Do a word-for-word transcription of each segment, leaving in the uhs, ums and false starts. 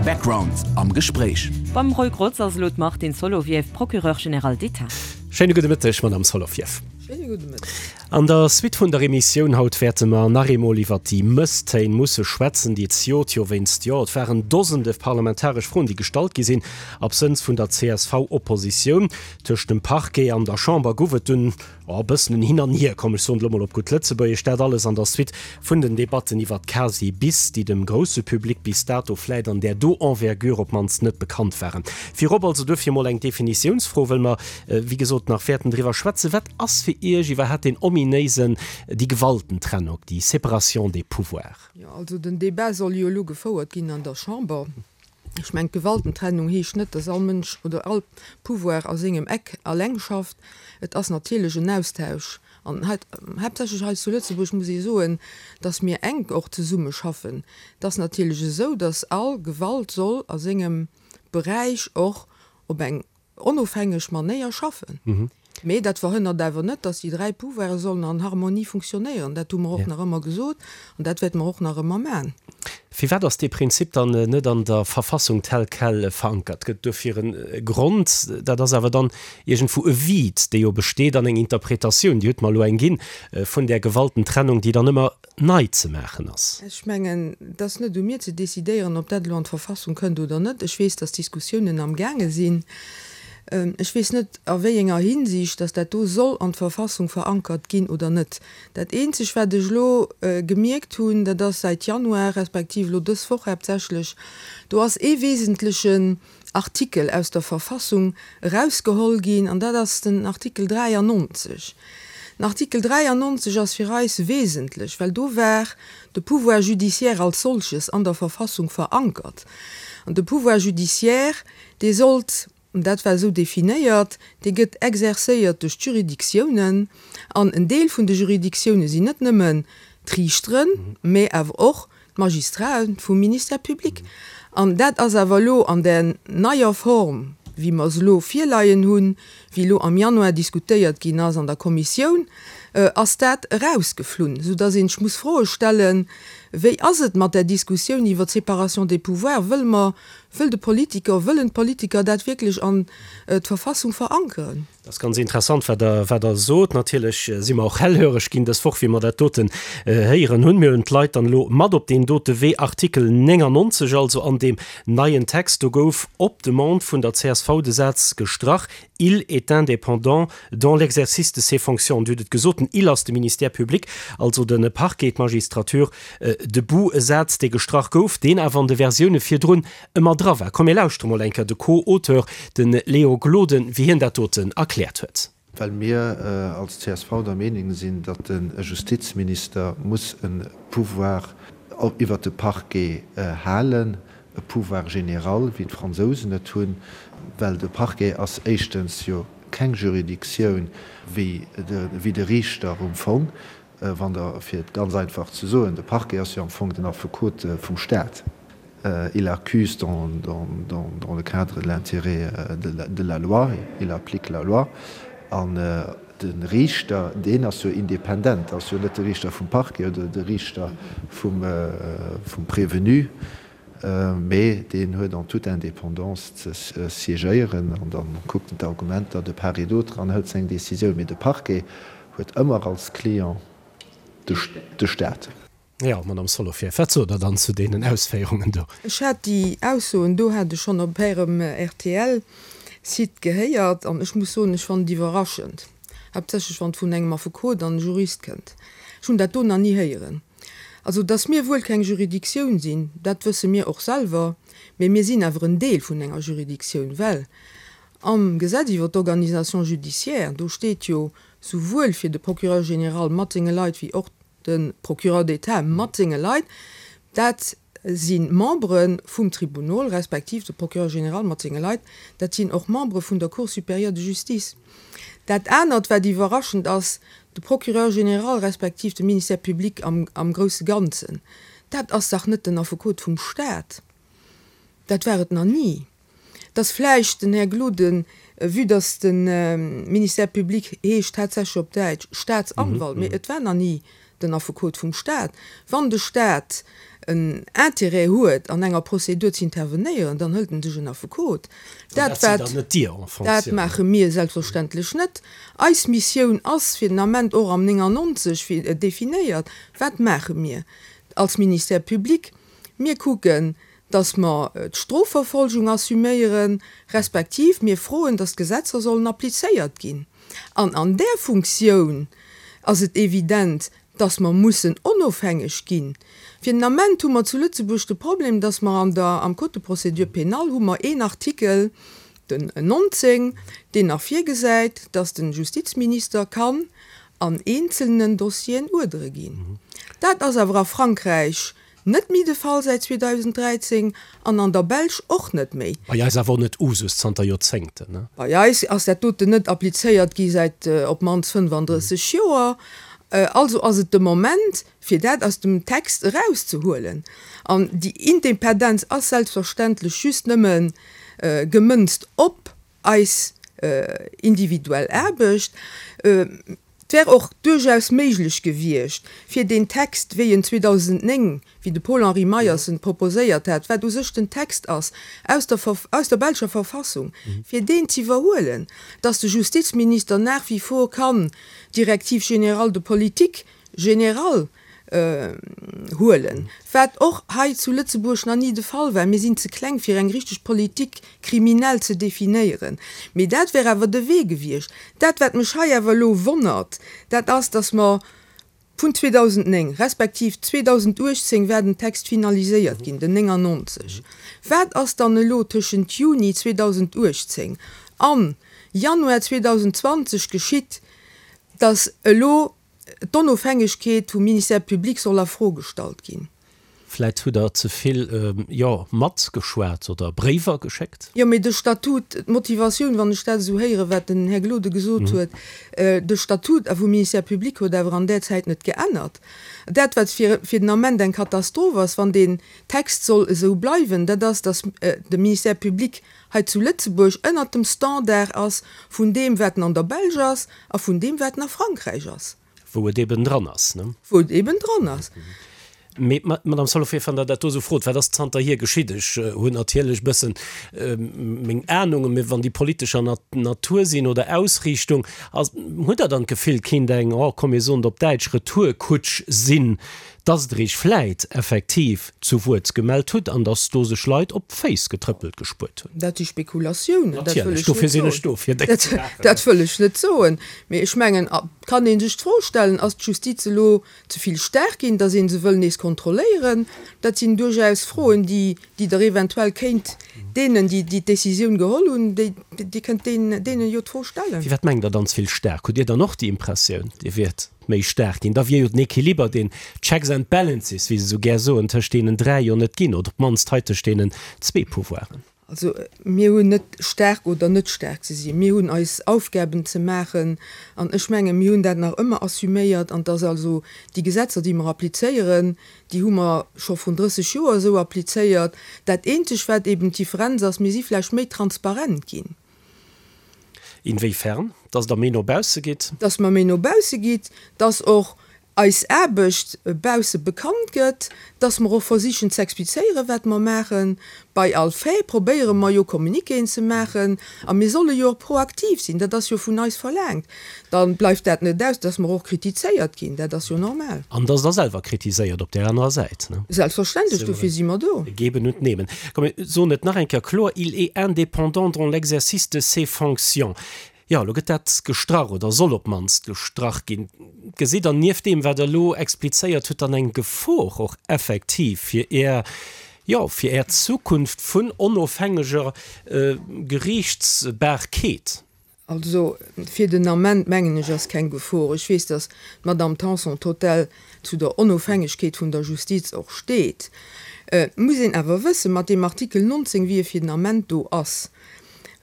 Background am Gespréich. Beim Roy Grotz ass elo d'Martine Solovieff, Procureur général d'État. Schéine gudde Mëtteg, Madame Solovieff. Schéine gudde Mëtteg. An der Suite vun der Emissioun haut wäerte mer nach eemol iwwert déi Mësstéin musse schwätzen, déi zejoert jo wéinst, jo, et waren Dosende parlamentaresch Froen, déi gestallt gi sinn, absënns vun der C S V-Oppositioun. Tëscht dem Parquet an der Chamber gouf et dunn e bëssen en Hin an Hier, komm ech soen et elo mol op gutt Lëtzebuergesch, dat alles an der Suite vun den Debatten iwwert d'Casi bis, déi dem grousse Public bis dato vläit an där do Envergure op d'mannst net bekannt waren. Virop also duerfir mol eng Definitiounsfro, wëll mer wéi gesot nach wäerten driwwer schwätzen, Wat ass fir Iech iwwerhaapt deen ominéisen, déi Gewaltentrennung, déi Séparation des pouvoirs? Jo, also den Débat soll jo elo gefouert ginn an der Chamber. Ech mengen, d'Gewaltentrennung heescht net, dass all Mënsch oder all Pouvoir a sengem Eck alleng schafft. Et ass natierlech en Austausch. An hei, haaptsächlech hei zu Lëtzebuerg, muss ee soen, dass mir enk och zesumme schaffen. Et ass natierlech esou, dass all Gewalt soll a sengem Beräich och op eng onofhängeg Manéier schaffen. Mee dat verhënnert awer net, dass déi dräi Pouvoire sollen an Harmonie funktionéieren. Dat hu mer och nach ëmmer gesot an dat wäerte mer och nach ëmmer maachen. Firwat ass dee Prinzip dann net an der Verfassung tel quel verankert? Gëtt et dofir e Grond? Dat ass awer dann iergendwou e Vide, dee jo besteet an eng Interpretatioun, Dir hutt mer elo eng ginn, vun där Gewaltentrennung, déi dann ëmmer nei ze maachen ass. Ech mengen, et ass net u mir ze decidéieren, ob dat elo an d'Verfassung kënnt oder net. Ech weess, dass Diskussiounen amgaange sinn. Ech weess net, a wéi enger Hinsicht dass dat do soll an d'Verfassung verankert ginn oder net. Dat Eenzeg, wat ech elo gemierkt hunn, dat ass säit Januar, respektiv elo dës Woch haaptsächlech, do ass ee wesentlechen Artikel aus der Verfassung erausgeholl ginn, an dat ass den Artikel dräiannonzeg. Den Artikel dräiannonzeg ass fir eis wesentlech, well do war de Pouvoir judiciaire als solches an der Verfassung verankert. An de Pouvoir judiciaire, dee sollt, dat war esou definéiert, dee gëtt exercéiert duerch d'Juridictiounen, an en Deel vun de Juridictioune sinn net nëmmen d'Riichteren, mä awer och d'Magistraten vum Ministère public. An dat ass awer elo an där neier Form, wéi mer se elo virleien hunn, wéi elo am Januar diskutéiert ginn ass an der Kommissioun, ass dat erausgeflunn, soudass een sech muss Froe stellen, Wéi ass et mat där Diskussioun iwwer d'Séparation des pouvoirs? Wëlle mer, wëll de Politiker, wëllen d'Politiker dat wierklech an d'Verfassung verankeren? Dat ass ganz interessant, wat Der, wat Der sot. Natierlech si mer och hellhöreg ginn dës Woch, wéi mer dat doten héieren hunn. Mir hunn d'Leit dann elo mat op deen dote Wee. Artikel néngannonzeg also an deem neien Text, do gouf op Demande vun der C S V de Saz gestrach, Il est indépendant dans l'exercice de ses fonctions. Dir hutt et gesot, den il ass de Ministère public, also de Parquet, d'Magistrature debout. E Saz, dee gestrach gouf, deen awer an de Versioune virdrun ëmmer dra war. Komm mir lauschtere mol eng Kéier de Co-Auteur, de Léo Gloden, wéi hien dat doten erkläert huet. Well mir als C S V der Meenung sinn, datt de Justizminister muss e Pouvoir iwwert de Parquet halen, e Pouvoir général, wéi d'Fransousen et hunn, well de Parquet ass éischtens jo keng Juridictioun wéi de Riichter um Fong, wann Der, fir et ganz einfach ze soen, de Parquet ass jo am Fong den Affekot vum Staat, il accuse dans, dans, dans, dans le cadre de l'intérêt de la loi, il applique la loi, an de Riichter, deen ass jo independent, ass jo net de Riichter vum Parquet oder de Riichter vum, vum Prévenu, mee deen huet en toute indépendance ze siégéieren an da kuckt en d'Argumenter de part et d'autre an hëlt seng Décisioun. Mee de Parquet huet ëmmer als Client de Staat. Jo, Madame Solovieff, wat sot Der dann zu deenen Ausféierungen do? Ech hat déi Aussoen do hat ech schonn op Ärem R T L Site gehéiert an ech muss soen, ech fannen et iwwerraschend, haaptsächlech wann et vun engem Affekot an Jurist kënnt. Ech hunn dat do nach ni héieren. Also, dass mir wuel keng Juridictioun sinn, dat wësse mir och selwer, mee mir sinn awer en Deel vun enger Juridictioun, well am Gesetz iwwer d'Organisation judiciaire, do steet jo souwuel fir de Procureur général mat senge Leit wéi och de Procureur d'État mat senge Leit, dat si Membere vum Tribunol, respektiv de Procureur général mat senge Leit, dat sinn och Membere vun der Cour supérieure de justice. Dat anert, wat iwwerraschend ass, de Procureur général respektiv de Ministère public am, am grousse Ganzen, dat ass dach net den Affekot vum Staat. Dat war et nach ni. Dass vläicht den Här Gloden, vue dass de Ministère public heescht tatsächlech op Däitsch Staatsanwalt, mee et war nach ni den Affekot vum Staat. Wann de Staat en Intérêt huet, an enger Prozedur ze intervenéieren, dann hëlt en sech en Affekot. Dat, dat sidd dann net Dir en fonction. Dat maache mir selbstverständlech net. Eis Missioun ass fir den Ament och am néngannonzeg definéiert. Wat maache mir als Ministère public? Mir kucken, dass mer d'Strofverfolgung assuméieren, respektiv mir froen, dass d'Gesetzer sollen applizéiert ginn. An an där Funktioun ass et evident, dass mer mussen onofhängeg ginn. Fir den Ament hu mer zu Lëtzebuerg de Problem, dass mer an der, am Code de procédure pénale hu mer een Artikel, den nonzéng, deen nach virgesäit, dass de Justizminister kann an eenzelnen Dossieren Uerdere ginn. Dat ass awer a Frankräich net méi de Fall säit zweedausenddräizéng an an der Belsch och net méi. Bei eis awer och net Usus zanter Joerzéngten, ne? Bei eis ass dat doten net applizéiert gi säit op d'mannst fënnfandrësseg Joer. Also ass et de Moment, fir dat aus dem Text erauszehuelen. An déi Independenz ass selbstverständlech just nëmme gemënzt op eis individuell Aarbecht. Et wär och duerchaus méiglech gewiescht, fir deen Text, wéi en zweedausendnéng, wéi de Paul-Henri Meyers en proposéiert hat, wat u sech den Text ass aus der, aus der belscher Verfassung, fir deen z'iwwerhuelen, dass de Justizminister nach wie vor kann d'Directive générale de politique générale huelen, wat och hei zu Lëtzebuerg nach ni de Fall war. Mir sinn ze kleng, fir eng richteg Politique criminelle ze definéieren. Mee dat wär awer de Wee gewiescht. Dat, wat mech hei awer elo wonnert, dat ass, dass mer vun zweedausendnéng respektiv zweedausenduechtzéng war den Text finaliséiert ginn, den néngannonzeg. Wat ass dann elo tëschent Juni zweedausenduechtzéng an Januar zweedausendzwanzeg geschitt, dass elo d'Onofhängegkeet vum Ministère public soll a Fro gestallt ginn. Vläit hutt Der ze vill, jo, matgeschwat oder Bréiwer geschéckt? Jo, mee de Statut, d'Motivatioun, wann ech dat esou héieren, wat den Här Gloden gesot huet, de Statut vum Ministère public huet awer an där Zäit net geännert. Dat, wat fir den Ament eng Katastroph ass, wann deen Text soll esou bleiwen, dat ass, datt de Ministère public hei zu Lëtzebuerg ënnert dem Standard ass vun deem, wat en an der Belsch ass a vun deem, wat en a Frankräich ass. Wou et eben dran ass, ne? Wou et eben dran ass. Mee, Madame Solovieff, wann Der dat do esou frot, wat ass zanterhier geschitt? Ech hunn natierlech e bëssen meng Ahnungen, mee wann déi politescher Natur sinn oder Ausriichtung, ass, hutt Der dann d'Gefill, kéint eng, oh komm mir soen et op Däitsch, Retourkutsch sinn, dass Der Iech vläit effektiv zu Wuert gemellt hutt an dass do sech Leit op d'Féiss getrëppelt gespuert hunn? Dat si Spekulatiounen, dat wëll Natierlech, ech net dofir sinn soen. ech do, fir déi ze maachen. Dat wëll ech net soen. Mee ech mengen, et kann ee sech d'Fro stellen, Ass d'Justiz elo ze vill staark ginn, dass ee se wëll nees kontrolléieren? Dat sinn duerchaus Froen, déi déi Der eventuell kéint deenen, déi déi d'Décisioun geholl hunn, déi Dir kënnt deenen jo d'Fro stellen. Firwat mengt Der dann ze vill staark? Hutt Dir dann och déi Impressioun, Dir wiert méi staark ginn? Da wier jo den Equiliber, deen Checks and Balances, wéi se esou gär soen, tëscht deenen dräi jo net ginn, oder op d'mannst hei tëscht deenen zwee Pouvoiren. Also mir hunn net staark oder net staark ze sinn. Mir hunn eis Aufgaben ze maachen an ech menge mir hunn dat nach ëmmer assuméiert an dass also déi Gesetzer, déi mer applizéieren, déi hu mer scho vrun drësseg Joer esou applizéiert. Dat eenzeg wat eben d'Differenz ass, mir si vläicht méi transparent ginn. Inwiefern? Dass Der méi no bausse gitt? Dass mer méi no bausse gitt, dass och eis Aarbecht bausse bekannt gëtt, dass mer och versichen z'explizéieren, wat mer maachen. Bei all Fait probéiere mer jo Communiquéen ze maachen a mir solle jo och proaktiv sinn, dat ass jo vun eis verlaangt. Da bleift dat net aus, dass mer och kritizéiert ginn, dat ass jo normal. An dass Der selwer kritiséiert op där anerer Säit, ne? Selbstverständlech, dofir si mer do. Geben und nehmen. Komm, mir soen et nach eng Kéier kloer, Il est indépendant dans l'exercice de ses fonctions. Jo, elo gëtt dat gestrach oder soll op d'mannst gestrach ginn. Gesitt Der nieft deem, wat Der elo explizéiert hutt, dann eng Gefor och effektiv fir Är, jo, fir Är Zukunft vun onofhängeger Geriichtsbarkeet? Also, fir den Ament, mengen ech, ass keng Gefor. Ech weess, datt d'Madame Tanson total zu der Onofhängegkeet vun der Justiz och steet. Et muss een awer wëssen, mat deem Artikel nonzéng, wéi e fir den Ament do ass,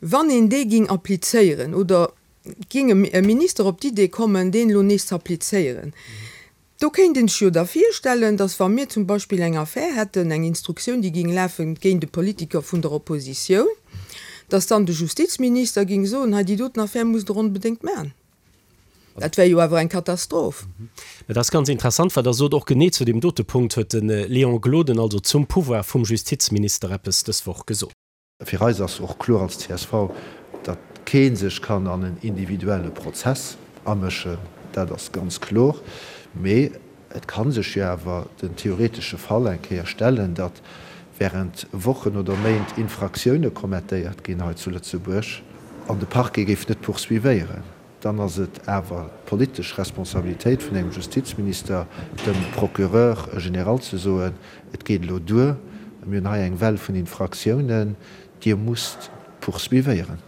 wann een dee ging applizéieren oder ging e Minister op d'Idee kommen, deen elo nees ze applizéieren, do kéint een sech jo da virstellen, datt wa mir zum Beispill eng Affär hätten, eng Instruktioun, déi ging lafen géint e Politiker vun der Oppositioun, datt dann de Justizminister ging soen, hei déi doten Affär musst Der onbedéngt maachen. Dat wär jo awer eng Katastroph. Mä dat ass ganz interessant, wat Der sot. Och genee zu deem dote Punkt huet de Léon Gloden, also zum Pouvoir vum Justizminister, eppes dës Woch gesot. Fir eis ass och kloer als C S V, datt kee sech kann an en individuelle Prozess amëschen, dat ass ganz kloer. Mee et ka sech jo awer den theoretesche Fall eng Kéier stellen, datt während Wochen oder Méint Infraktioune kommettéiert ginn hei zu Lëtzebuerg an de Parquet géif net poursuivéieren. Dann ass et awer d'politesch Responsabilitéit vun engem Justizminister, dem Procureur général ze soen, Et geet elo duer, mir hunn hei eng Well vun Infraktiounen, Dir musst poursuivéieren.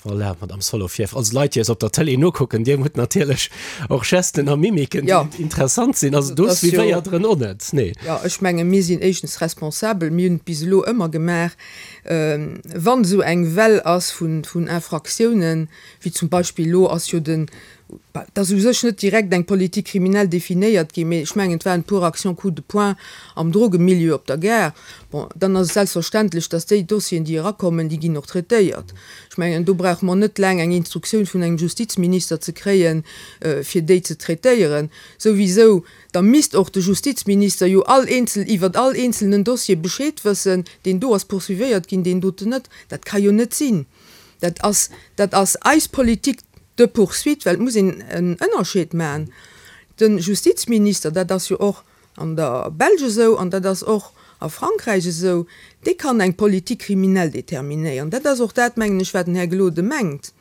Voilà, Madame Solovieff, also Leit, déi eis op der Tëlee nokucken, Dir hutt natierlech och Gesten a Mimiken, déi interessant sinn. Also do suivéiert Der en och net, nee? Jo, ech menge mir sinn éischtens responsabel, mir hunn et bis elo ëmmer gemaach, wann esou eng Well ass vun Infraktiounen, wéi zum Beispill elo ass jo den, et ass u sech net direkt eng Politique criminelle definéiert ginn, mee ech mengen, et waren e puer Actions coup de poing am Drogemilieu op der Gare. Bon, dann ass et selbstverständlech, dass déi Dossieren, déi erakommen, déi ginn och traitéiert. Ech mengen, do brauche mer net laang eng Instruktioun vun engem Justizminister ze kréien, fir déi ze traitéieren. Souwisou, da misst och de Justizminister jo all eenzel, iwwert all eenzelnen Dossier Bescheed wëssen, deen do ass poursuivéiert ginn, deen doten net. Dat ka jo net sinn. Dat ass, dat ass eis Politique de poursuite, well et muss een en Ënnerscheed maachen. De Justizminister, dat ass jo och an der Belsch esou an dat ass och a Frankräich esou, dee kann eng Politique criminelle determinéieren. Dat ass och dat, mengen ech, wat den Här Gloden mengt.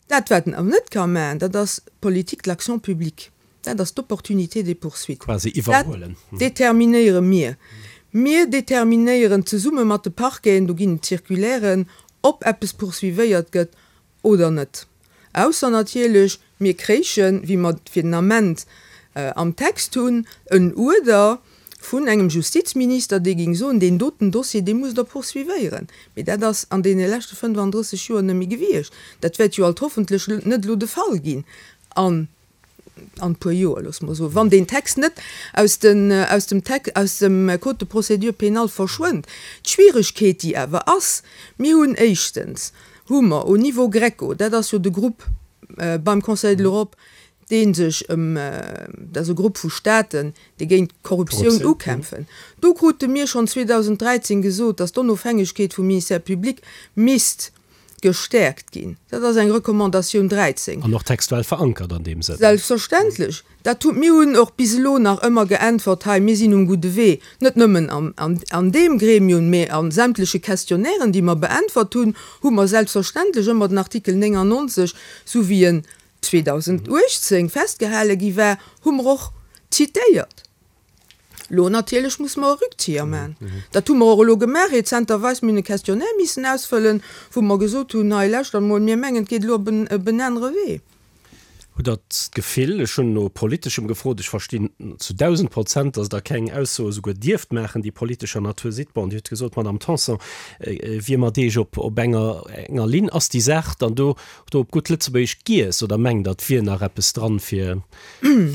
Dat, wat en awer net ka maachen, dat ass d'Politique de l'action publique. Dat ass d'Opportunité des poursuites. Quasi iwwerhuelen. Dat determinéiere mir. Mir determinéieren zesumme mat de Parqueten, do ginn et Circulairen, ob eppes poursuivéiert gëtt oder net. Ausser natierlech, mir kréichen, wéi mer et fir den Ament am Text hunn, en Uerder vun engem Justizminister, dee géing soen, deen doten Dossier, dee musst Der poursuivéieren. Mee dat ass an deene leschte fënnefandrësseg Joer net méi gewiescht. Dat wäert jo alt hoffentlech net elo de Fall ginn an an e puer Joer, loosse mer soen, wann deen Text net aus den, aus dem Text, aus dem Code de procédure pénale verschwënnt. D'Schwieregkeet, déi awer ass, mir hunn éischtens, hu mer au niveau GRECO, dat ass jo de Grupp beim Conseil de l'Europe, dee sech ëm, dat ass e Grupp vu Staaten, déi géint d'Korruptioun ukämpfen, do krute mir schonn zweedausend dräizéng gesot, datt d'Onofhängegkeet vum Ministère public misst gestäerkt ginn. Dat ass eng Recommandatioun dräizéng. An och textuell verankert an deem Sënn. Selbstverständlech. Dat hu mir hunn och bis elo nach ëmmer geäntwert, hei, mir sinn um gudde Wee, net nëmmen an, an, an deem Gremium, mee a sämtleche Questionnairen, déi mer beäntwert hunn, hu mer selbstverständlech ëmmer den Artikel néngannonzeg, sou wéi en zweedausendachtzéng festgehale gi war, hu mer och zitéiert. Lo natierlech muss mer e Rückzieher man. Dat hu mer och elo gemaach rezenterweis, mir hunn e Questionnaire missen ausfëllen, wou mer gesot hunn, hei lauschtert emol, mir mengen, et geet elo op en op en anere Wee. Hutt Der d'Gefill, ech hunn no Politeschem gefrot, ech verstinn zu dausend Prozent, datt Der keng Aussoe souguer dierft maachen, déi politescher Natur sinn, bon, Dir hutt gesot, d'Madame Tanson wier mat Iech op op enger enger Linn, ass déi Saach dann do do op gutt Lëtzebuergesch giess oder mengt Der, et wier nach eppes dran, fir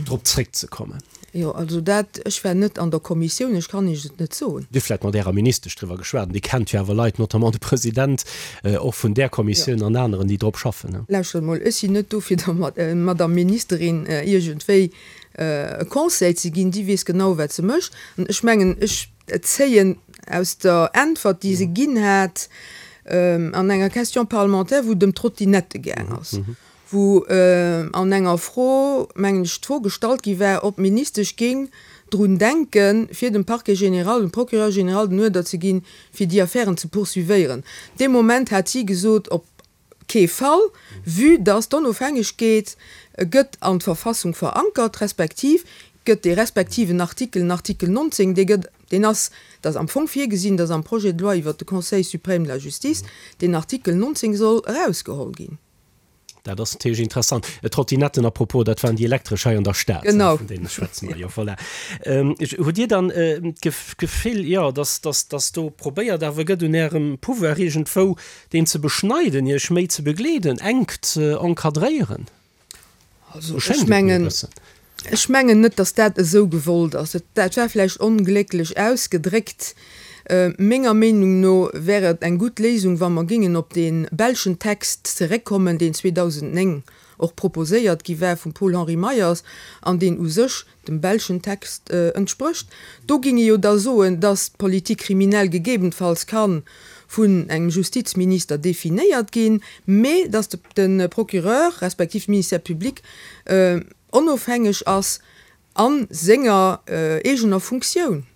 drop zréckzekommen? Jo, also dat, ech war net an der Kommissioun, ech kann Iech et net soen. Dir hutt vläicht mat Ärer Ministesch driwwer geschwat, an Dir kennt jo awer Leit, notamment de President och vun där Kommissioun an aneren, déi drop schaffen. Lauschtert emol, ech sinn net do fir der Madame Ministerin iergendwéi e Conseil ze ginn, déi weess genau wat se mécht. An ech mengen, ech zéien aus der Äntwert, déi se ginn hat an enger Question parlementaire, wou et ëm d'Trottinette gaang ass, wou an enger Fro, mengen ech, d'Fro gestallt gi war, ob d'Ministesch géing drun denken, fir dem Parquet général, dem Procureur général den Uerder ze ginn, fir déi Affären ze poursuivéieren. Dee Moment hat si gesot, op kee Fall, vue dass d'Onofhängegkeet gëtt an d'Verfassung verankert, respektiv gëtt dee respektiven Artikel, den Artikel nonzéng, dee gëtt, deen ass, dat ass am Fong virgesinn, dass am Projet de loi iwwert de Conseil suprême de la justice deen Artikel nonzéng soll erausgeholl ginn. Dat ass natierlech interessant. Trottinetten, à propos, dat waren déi elektresch hei an der Stad, Genau. vun deene schwätze mer jo. Voilà. Hutt Dir dann d'Gefill, jo, dass, dass, dass do probéiert awer gëtt, un Ärem Pouvoir iergendwou deen ze beschneiden, Iech méi ze begleeden, enk ze encadréieren? Also ech mengen, ech mengen net, dass dat esou gewollt ass. Dat war vläicht onglécklech ausgedréckt. Menger Meenung no wär et eng gutt Léisung, wa mer géingen op dee belschen Text zeréckkommen, deen zweedausendnéng och proposéiert gi war vum Paul-Henri Meyers an deen u sech dem belschen Text entsprécht. Do géing ee jo da soen, dass d'Politique criminelle gegebenfalls ka vun engem Justizminister definéiert ginn, mä dass de Procureur respektiv de Ministère public onofhängeg ass a senger eegener Funktioun.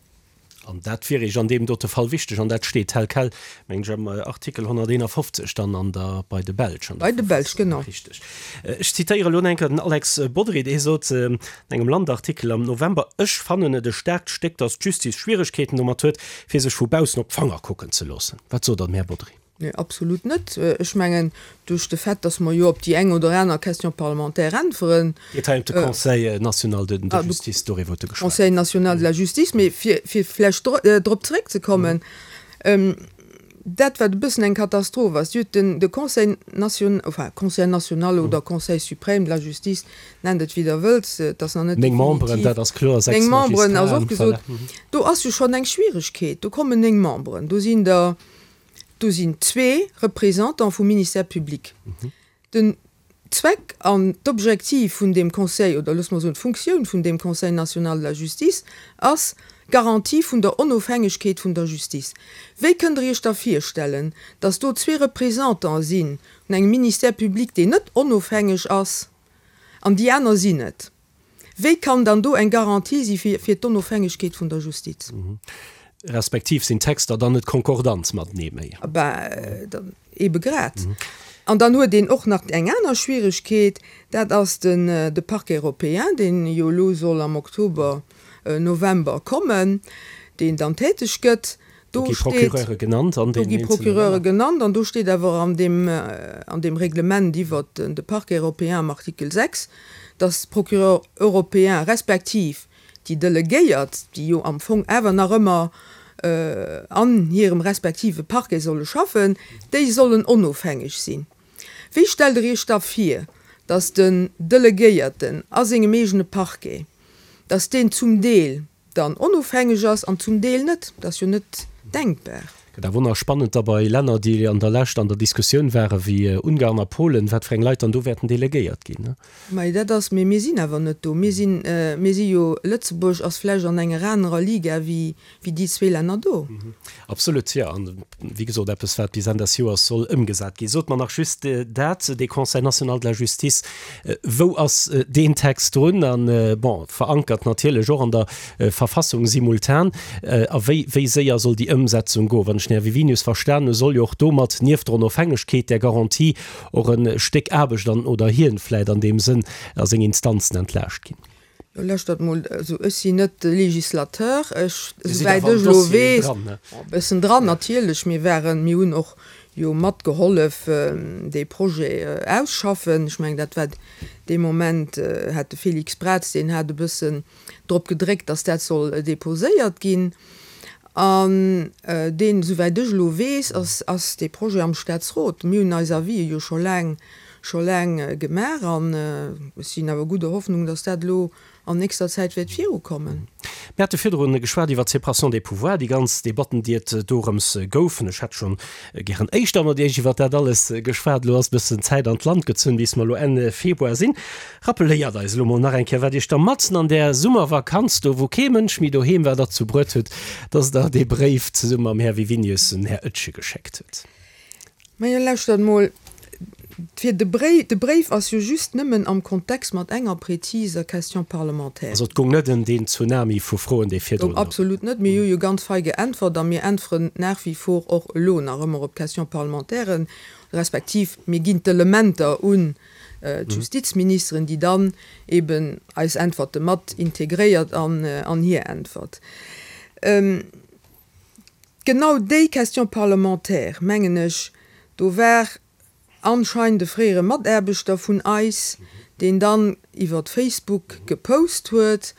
An dat wier Iech an deem dote Fall wichteg, an dat steet tel quel, mengen ech, am Artikel honnerteenafofzeg dann an der, bei de Belsch an der Bei de Belsch, genau. Richteg. Ech zitéiere elo eng Kéier den Alex Bodry, dee sot an engem Land-Artikel am November, Ech fannen et e staarkt Stéck, datt d'Justiz Schwieregkeeten domat huet, fir sech vu baussen op d'Fanger kucken ze loossen. Wat sot Der, den Här Bodry? Nee, absolut net. Ech mengen, duerch de Fait, dass mer jo op déi eng oder aner Question parlementaire äntweren. Et geet hei ëm de Conseil national de justice, doriwwer huet e geschwat. Conseil national de la justice. Mee fir, fir vläicht drop zeréckzekommen, dat, wat e bëssen eng Katastroph ass, Dir hutt den, de Conseil nation, enfin, Conseil national oder Conseil suprême de la justice, nennt et wéi Der wëllt, et ass nach net Néng Memberen, definitiv. dat ass kloer, sechs Néng Memberen ass Magistraten, och gesot. voilà. Do ass jo schonn eng Schwieregkeet. Do kommen néng Memberen, do sinn der, Do sinn zwee Représentants vum Ministère public. Den Zweck an d'Objektiv vun deem Conseil, oder loosse mer soen d'Funktioun vun deem Conseil national de la justice ass d'Garantie vun der Onofhängegkeet vun der Justice. Wéi kënnt Der Iech da virstellen, dass do zwee Représentants si vun engem Ministère public, deen net onofhängeg ass, an déi aner sinn et? Wéi kann dann do eng Garantie si fir d'Onofhängegkeet vun der Justiz? Respektiv sinn d'Texter dann net konkordant matenee méi. Ben, dann ebe grad. An dann huet een och nach eng aner Schwieregkeet, dat ass den, de Parquet européen, deen jo elo soll am Oktober, November kommen, deen dann täteg gëtt. Do gi Procureure genannt an Do deenen gi eenzele Procureure Länner. genannt an do steet awer an deem, an deem Reglement iwwert de Parquet européen am Artikel sechs, dass d'Procureur européen respektiv déi Delegéiert, déi jo am Fong awer nach ëmmer an hirem respektive Parquet solle schaffen, déi sollen onofhängeg sinn. Wéi stellt Der Iech da vir, dass den Delegéierten a sengem eegene Parquet, dass deen zum Deel dann onofhängeg ass an zum Deel net? Dat ass jo net denkbar. Gëtt awer nach spannend da bei Länner, déi an der Lescht an der Diskussioun ware wéi Ungarn a Polen, wat fir eng Leit dann do wäerten delegéiert ginn. Mä dat ass, mee mir sinn awer net do. Mir sinn, mir si jo, Lëtzebuerg ass vläicht an enger anerer Liga wéi, wéi déi zwee Länner do. Absolut, jo. An wéi gesot, eppes wat bis Enn des Joers soll ëmgesat ginn. Sot mer nach just dat, dee Conseil national de la justice, wou ass deen Text drun? An, bon, verankert natierlech och an der Verfassung simultan. A wéi, wéi séier soll déi Ëmsetzung goen? Wann ech den Här Wiwinius verstanen hu, soll jo och domat nieft der Onofhängegkeet, där Garantie, och e Stéck Aarbecht an, oder hien vläit an deem Sënn, a seng Instanzen entlaascht ginn. Jo, lauschtert mol, also ech sinn net de Législateur, ech, Dir sidd esouwäit awer am ech elo Dossier weess, dran, ne? e bëssen dran natierlech, mir waren, mir hunn och jo matgehollef dee Projet ausschaffen. Ech mengen, dat war dee Moment hat de Félix Braz, deen hat e bëssen drop gedréckt, datt dat soll déposéiert ginn. An deen, esouwäit ech elo weess, ass, ass dee Projet am Staatsrot. Mir hunn eis Avisë jo scho laang, scho laang gemaach an ech sinn awer gudder Hoffnung, datt dat elo an nächster Zäit wäert virukommen. Mir hate virdrun geschwat iwwer d'Séparation des pouvoirs, déi ganz Debatten, déi et dorëms goufen. Ech hätt schonn gären éischter mat Iech iwwer dat alles geschwat. Elo ass e bëssen Zäit an d'Land gezunn, bis mer elo Enn Februar sinn. Rappeléiert eis elo mol nach eng Kéier, wat Iech da matzen an där Summervakanz do, wou kee Mënsch méi doheem war, derzou bruet huet, dass Der dee Bréif zesumme mam Här Wiwinius den Här Oetsch geschéckt hutt. Majo, lauschtert mol, fir de Bréif, de Bréif ass jo just nëmmen am Kontext mat enger präziser Question parlementaire. Also et goung net ëm deen Tsunami vu Froen, dee virdrun. Goung absolut net. Mir hu jo ganz fei geäntwert a mir äntweren nach wie vor och elo nach ëmmer op d'Question-parlementairen, respektiv mir ginn d'Elementer un d'Justizministeren, déi dann eben eis Äntwerte mat integréiert an hir Äntwert. Genau déi Question parlementaire, mengen ech, do war anscheinend e fréiere Mataarbechter vun eis, deen dann iwwert Facebook gepost huet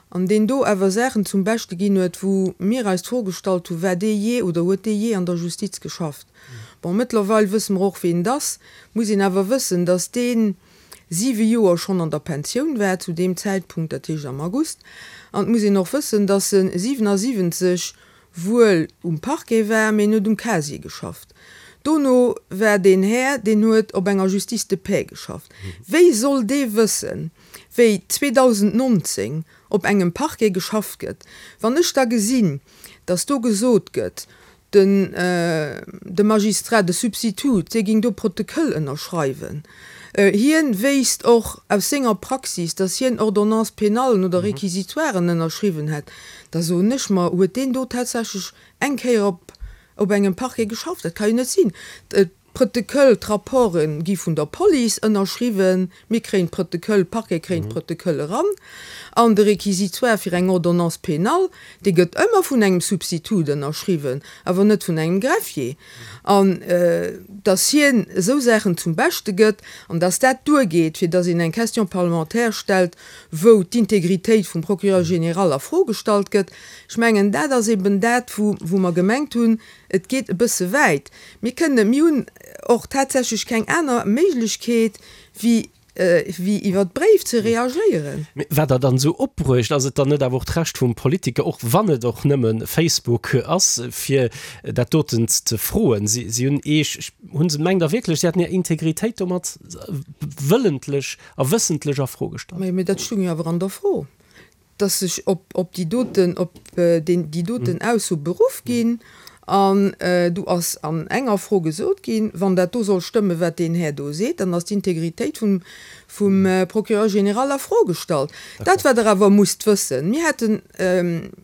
an deen do awer Saachen zum Beschte ginn huet, wou mir eis d'Fro gestallt hu, War dee jee oder huet dee jee an der Justiz geschafft? Bon, mëttlerweil wësse mer och, ween et ass. Muss een awer wëssen, dass dee siwe Joer schonn an der Pensioun war zu deem Zäitpunkt, dat heescht am August. An et muss een och wëssen, dass e siwenasiwwenzeg wuel um Parquet war, mee en huet um Casier geschafft. Dono war deen Här, deen huet op enger Justice de paix geschafft. Wéi soll dee wëssen, wéi zweedausendnonzéng op engem Parquet geschafft gëtt? Wann ech da gesinn, dass do gesot gëtt, den, de Magistrat, de Substitut, dee géing do Protoköll ënnerschreiwen, hien wéisst och aus senger Praxis, dass hien Ordonnances pénallen oder Réquisitoiren ënnerschriwwen hätt, da soen ech mer, huet deen do tatsächlech eng Kéier op op engem Parquet geschafft? Dat ka jo net sinn. D'Protoköll, d'Rapporte gi vun der Police ënnerschriwwen, mir kréien d'Protoköll, d'Parquet kréien d'Protoköll eran. An de Réquisitoire fir eng Ordonnance pénale, dee gëtt ëmmer vun engem Substitut ënnerschriwwen, awer net vun engem Greffier. An datt hien esou Saachen zum Beschte gëtt an datt dat duergeet, fir datt een eng Question parlementaire stellt, wou d'Integritéit vum Procureur général a Fro gestallt gëtt, ech mengen, dat ass eben dat, wou mer gemengt hunn, et geet e bësse wäit. Mir kënnen, mir hunn och tatsächlech keng aner Méiglechkeet, wéi, wéi iwwer Bréif ze reagéieren. Mee wat Der dann esou opbruecht, ass et dann net awer och d'Recht vum Politiker, och wann et och nëmme Facebook ass, fir dat doten ze froen? Si, si hunn Iech, hu se, mengt Der wierklech, si hätten Är Integritéit domat wëllentlech a wëssentlech a Fro gestallt? Mee dat stoung jo awer an der Fro. dass sech op, op déi doten, op deen, déi doten Ausso beruff ginn. An do ass an enger Fro gesot ginn, wann dat do soll stëmmen, wat deen Här do seet, dann ass d'Integritéit vum, vum Procureur général a Fro gestallt. Dat, wat Der awer musst wëssen, mir hätten,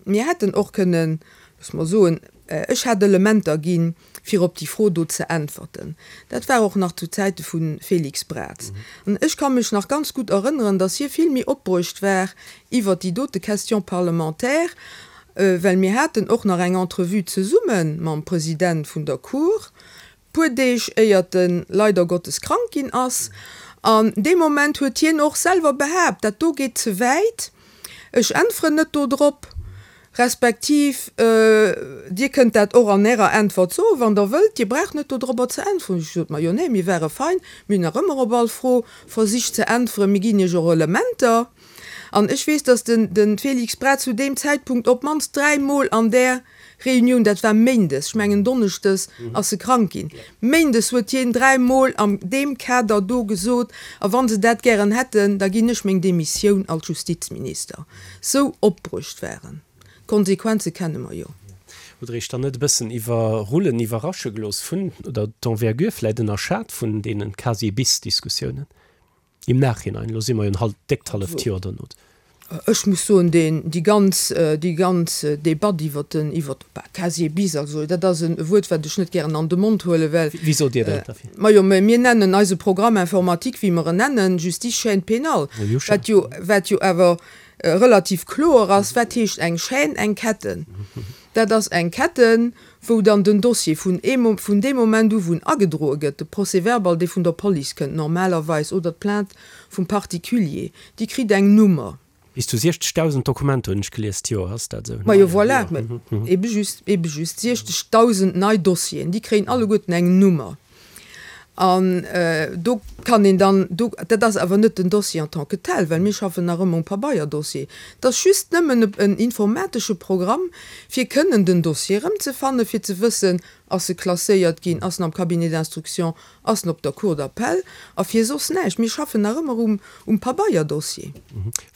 mir hätten och kënnen, loosse mer soen, ech hätt Elementer ginn, fir op déi Fro do ze äntwerten. Dat war och nach zu Zäite vu Félix Braz. An ech ka mech nach ganz gutt erënneren, datt hie vill méi opbruecht war iwwert déi dote Question parlementaire, well mir haten och nach eng Entrevue zesumme mam President vun der Cour, puer Deeg éiert en leider Gottes krank ginn ass. An dee Moment huet hien och selwer behaapt, dat do geet ze wäit, ech äntweren net do drop, respektiv Dir kënnt dat och an Ärer Äntwert soen, wann Der wëllt, Dir braucht net do drobber ze äntweren. Ech sot, Majo, nee, mir ware fein, mir hunn nach ëmmer op all Fro versicht ze äntweren, mir ginn Iech och Elementer. An ech weess, dass den de Félix Braz zu deem Zäitpunkt op d'mannst dräi Mol an där Reunioun, dat war méindes, ech mengen donneschdes ass e krank ginn, méindes huet hien dräi Mol an deem Kader do gesot, a wa se dat gären hätten, da ginn ech meng Demissioun als Justizminister. Sou opbruecht waren. D'Konsequenze kenne mer jo. Hutt Der Iech dann net e bëssen iwwerrullen, iwwerrasche gelooss vun, oder d'Envergure vläicht ënnerschat vun deene Casier-bis-Diskussiounen im Nachhinein? Elo si mer jo en hal-, déckt halleft Joer dono. Ech muss soen, deen, déi ganz, déi ganz Debatt iwwert den, iwwert, bah, Casier bis, also dat ass e Wuert, wat ech net gären an de Mond huelen, well. Wéi sot Dir dat da fir? Majo, mä mir nennen eise Programme informatique, wéi mer en nennen, Justice chaîne pénale, wat jo, wat jo awer relativ kloer ass, wat heescht eng Chaîne, eng Ketten. Dat ass eng Ketten, wou dann den Dossier vun vun deem Moment u wou en agedroe gëtt, de Procès-verbal, dee vun der Police kënnt normalerweis, oder d'Plainte vum Particulier, déi kritt eng Nummer. Bis zu siechzegdausend Dokumenter hunn ech gelies d'Joer, ass dat esou? Majo, voilà, ebe just, ebe just siechzegdausend nei Dossieren, déi kréien alleguerten eng Nummer. An do kann een dann, do, dat ass awer net den Dossier en tant que tel, well mir schaffen nach ëmmer um Pabeierdossier, dat ass just nëmmen en informatesche Programm, fir kënnen den Dossier erëmzefannen, fir ze wëssen, ass e klasséiert ginn, ass en am Cabinet d'instruction, ass en op der Cour d'appel, a fir soss näischt. Mir schaffen nach ëmmer um, um Pabeierdossier.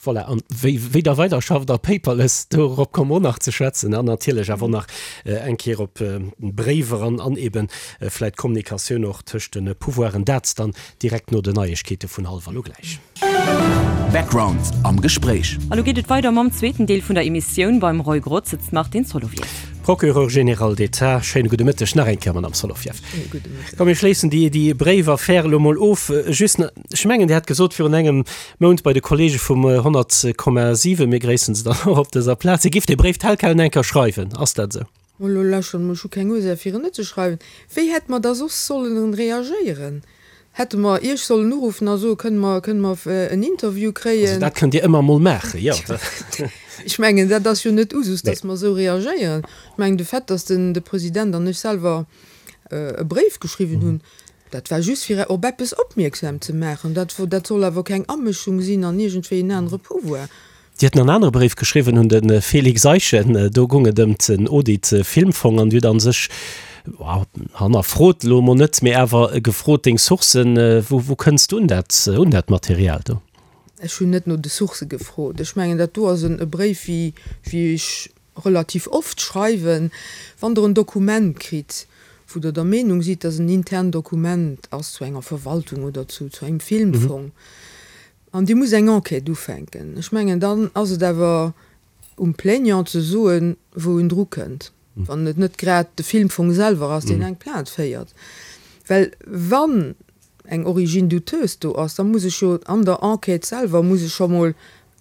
Voilà, an wéi, wéi Der weiderschafft a paperless, dorop komme mer och nach ze schwätzen an natierlech awer och nach eng Kéier op Bréiwer an, an eeben vläicht d'Kommunikatioun och tëscht de Pouvoiren. Dat dann direkt no den Neiegkeete vun hallwer elo gläich. Background am Gespréich. A lo geet et weider mam zweeten Deel vun der Emissioun. Beim Roy Grotz sëtzt d'Martine Solovieff. Procureur général d'État, schéine gudde Mëtteg nach eng Kéier, Madame Solovieff. Schéine gudde Mëtteg. Komm, mir schléissen déi, déi Bréifaffär elo mol of. Just nach, ech mengen, Dir hat gesot virun engem Mount bei de Kollege vum honnert Komma siwen, mir gréissen se dann och op dëser Plaz, Dir gifft dee Bréif tel quel eng Kéier schreiwen. Ass dat esou? Elo lauschtert emol, ech hu keng Ursaach fir en net ze schreiwen. Wéi hätte mer da soss sollen reagéieren? Hätte mer Iech sollen uruffen a soen, kënne mer, kënne mer en Interview Also kréien? dat kënnt Dir ëmmer emol maachen, jo. Ech mengen, dat ass jo net Usus, Nee. datt mer esou reagéieren. Ech mengen, de Fait, datt den, de President an ech selwer e Bréif geschriwwen hunn, dat war just fir op eppes opmierksam ze maachen. Dat, dat soll awer keng Amëschung sinn an iergendwéi en anere Pouvoir. Dir hutt nach en anere Bréif geschriwwen un de Félix Eischen. Do goung et ëm den Audit Filmfong an Dir hutt a sech hannerfrot elo mol net, mee awer gefrot deng Sourcen, wou wou kënns du un dat un dat Material do? Ech hunn net no de Sourcë gefrot. Ech mengen dat do ass en e Bréif wéi wéi ech relativ oft schreiwen, wann Der en Dokument kritt, wou Der der Meenung sidd, dass en intern Dokument ass zu enger Verwaltung oder zu zu engem Filmfong an Dir musst eng Enquête ufänken. Ech mengen dann ass et awer um Plaignant ze soen, wou en dru kënnt, wann et net grad de Filmfong selwer ass, deen eng Plainte féiert. Well wann eng Origine douteuse do ass, da muss ech jo an der Enquête selwer muss ech scho mol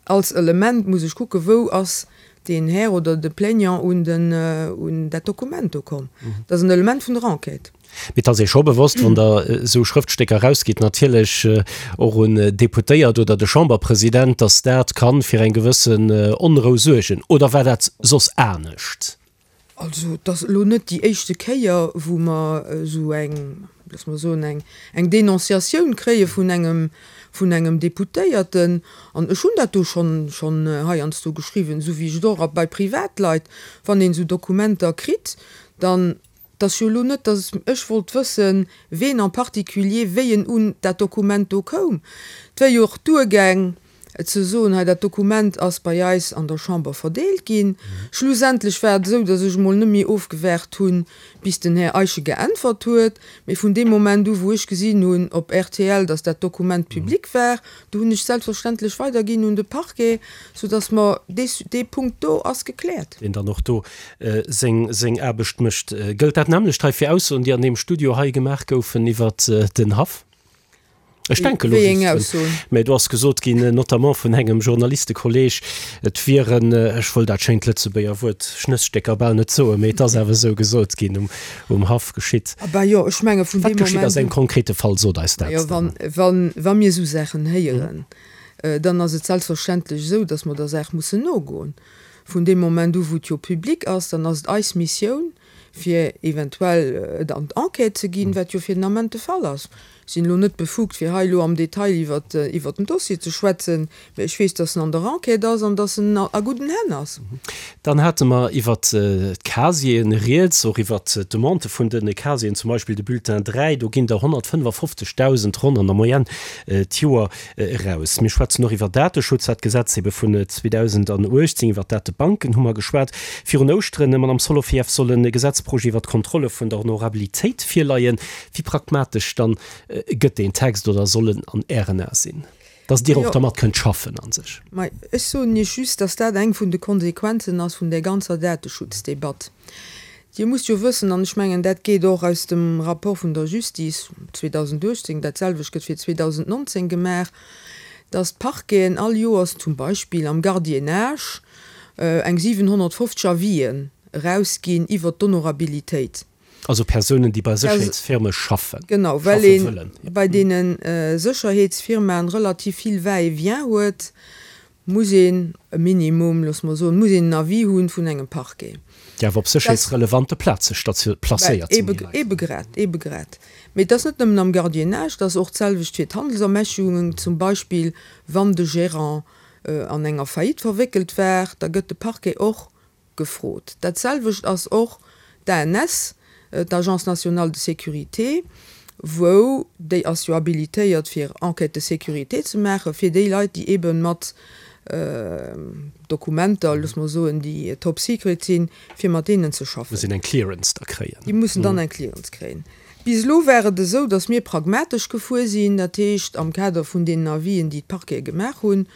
als Element muss ech kucken, wou ass deen Här oder de Plaignant un den, un dat Dokument do komm. Dat ass en Element vun der Enquête. Mee et ass ee scho bewosst, wann Der esou Schrëftstécker erausgitt, natierlech och un d'Deputéiert oder de Chamberpresident, datt dat kann fir eng gewëssen Onrou suergen. Oder war dat soss anescht? Also, et ass elo net déi éischte Kéier, wou mer esou eng, loosse mer soen, eng, eng Denonciatioun kréie vun engem, vun engem Deputéierten. An ech hunn dat do schonn, schonn heiansdo geschriwwen, esou wéi ech et och bei Privatleit, wann een esou Dokumenter kritt, dann, et ass jo elo net, datt ech wollt wëssen, ween en particulier, wéi en un dat Dokument do koum. Et wär jo och duergaang, ze soen, hei dat Dokument ass bei eis an der Chamber verdeelt ginn. Schlussendlech war et esou, datt ech emol net méi ofgewaart hunn, bis den Här Eischen geäntwert huet, mee vun deem Moment u wou ech gesinn hunn op rtl, datt dat Dokument public war, do hunn ech selbstverständlech weiderginn un de Parquet, soudatt mer dee dee Punkt do ass gekläert. Deen dann och do seng seng Aarbecht mécht. Gëllt dat nämmlecht hei fir Aussoen, déi an deem Studio hei gemaach goufen iwwert den Haff? Ech denke lo Wéi eng just drun. Aussoen? Mä do ass gesot ginn, notamment vun engem Journalistekolleg, et wieren, ech wëll dat schéint Lëtzebuerger Wuert Schnësstécker bal net soen, mee et ass awer esou gesot ginn, um, um Haff geschitt. Ah ben jo, ech menge vun Wat deem geschitt Moment ass engem un. konkrete Fall? Sot eis dat Majo, dann. wann, wann, wa mir esou Saachen héieren, dann ass et selbstverständlech esou, datt mer der Saach mussen nogoen. Vun deem Moment u wou et jo public ass, dann ass et eis Missioun, fir eventuell et an d'Enquête ze ginn, wat jo fir den Ament de Fall ass. Ech sinn elo net befugt, fir hei elo am Detail iwwert den Dossier ze schwätzen, mä ech weess, dass en an der Enquête ass an dass en a gudden Hänn ass. Dann hate mer iwwert d'Casieren rieds, och iwwert d'Demande vun de Casieren, zum Beispill de Bulletin dräi, do ginn der honnertfënnefafofzegdausend ronn an der Moyenne d'Joer eraus. Mir schwätzen och iwwer Dateschutz, dat Gesetz ebe vun zweedausenduechtzéng, iwwer d'Datebanken hu mer geschwat. Virun Ouschteren, Madamm Solovieff, soll e Gesetzprojet iwwer d'Kontrolle vun der Honorabilitéit virleien. Wéi pragmatesch dann gëtt deen Text oder soll en an Ären Ae sinn, dass Dir och Jo. dermat kënnt schaffen a sech? Mä ech soen Iech just, dass dat eng vun de Konsequenzen ass vun där ganzer Dateschutzdebatt. Dir musst jo wëssen, an ech mengen, dat geet och aus dem Rapport vun der Justice zweedausenduechtzéng, dat selwecht gëtt fir zweedausendnonzéng gemaach, dass d'Parqueten all Joers zum Beispill am Gardiennage eng siwenhonnertfofzeg Avisen erausginn iwwert d'Honorabilitéit. Also Persounen, déi bei Sécherheetsfirme schaffen, Genau, well schaffe ee wëllen. bei deene Sécherheetsfirmaen relativ vill Va-et-vient huet, muss een e Minimum, loosse mer soen, muss een en Avis hu vun engem Parquet. Déi awer op sécherheetsrelevante Plaze placéiert sinn, déi Leit. Ebe grad, ebe grad. Mee et ass net nëmmen am Gardiennage, et ass och d'selwecht fir d'Handelsermächtigungen, zum Beispill wann de Gérant an enger Faillite verwéckelt war, da gëtt de Parquet och gefrot. Dat selwecht ass och d'ANS, d'Agence nationale de sécurité, wou, déi ass jo habilitéiert fir Enquêtes de sécurité ze maachen, fir déi Leit, déi eebe mat Dokumenter, loosse mer soen, déi top secret sinn, fir mat deenen ze schaffen. Mussen eng Clearance da kréien. Déi mussen dann eng Clearance kréien. Bis elo war et esou, datt mir pragmatesch gefuer sinn, dat heescht am Kader vun deenen Avisen, déi d'Parquete gemaach hunn,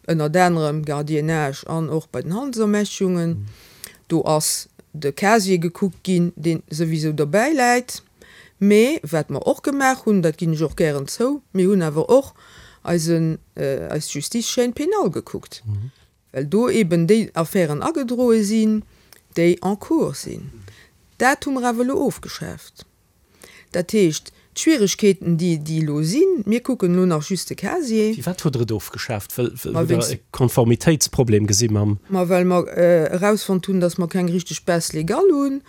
ënnert anerem Gardiennage an och bei den Handelsermächtigungen, do ass de Casier gekuckt ginn, dee souwisou derbäi läit. Mee wat mer och gemaach hunn, dat ginn ech och gären zou, mir hunn awer och eisen, eis Justice-Chaîne pénale gekuckt, well do eeben déi Affären agedroe sinn, déi en cours sinn. Dat hu mer awer elo ofgeschaaft. Dat heescht, d'Schwieregkeeten, déi déi elo sinn, mir kucken elo nach just de Casier. Firwat hutt Der et ofgeschaaft? Well Ma hutt Der wéinst. e Konformitéitsproblem gesi mam. Ma well mer erausfonnt hunn, datt mer keng richteg Base légale hunn.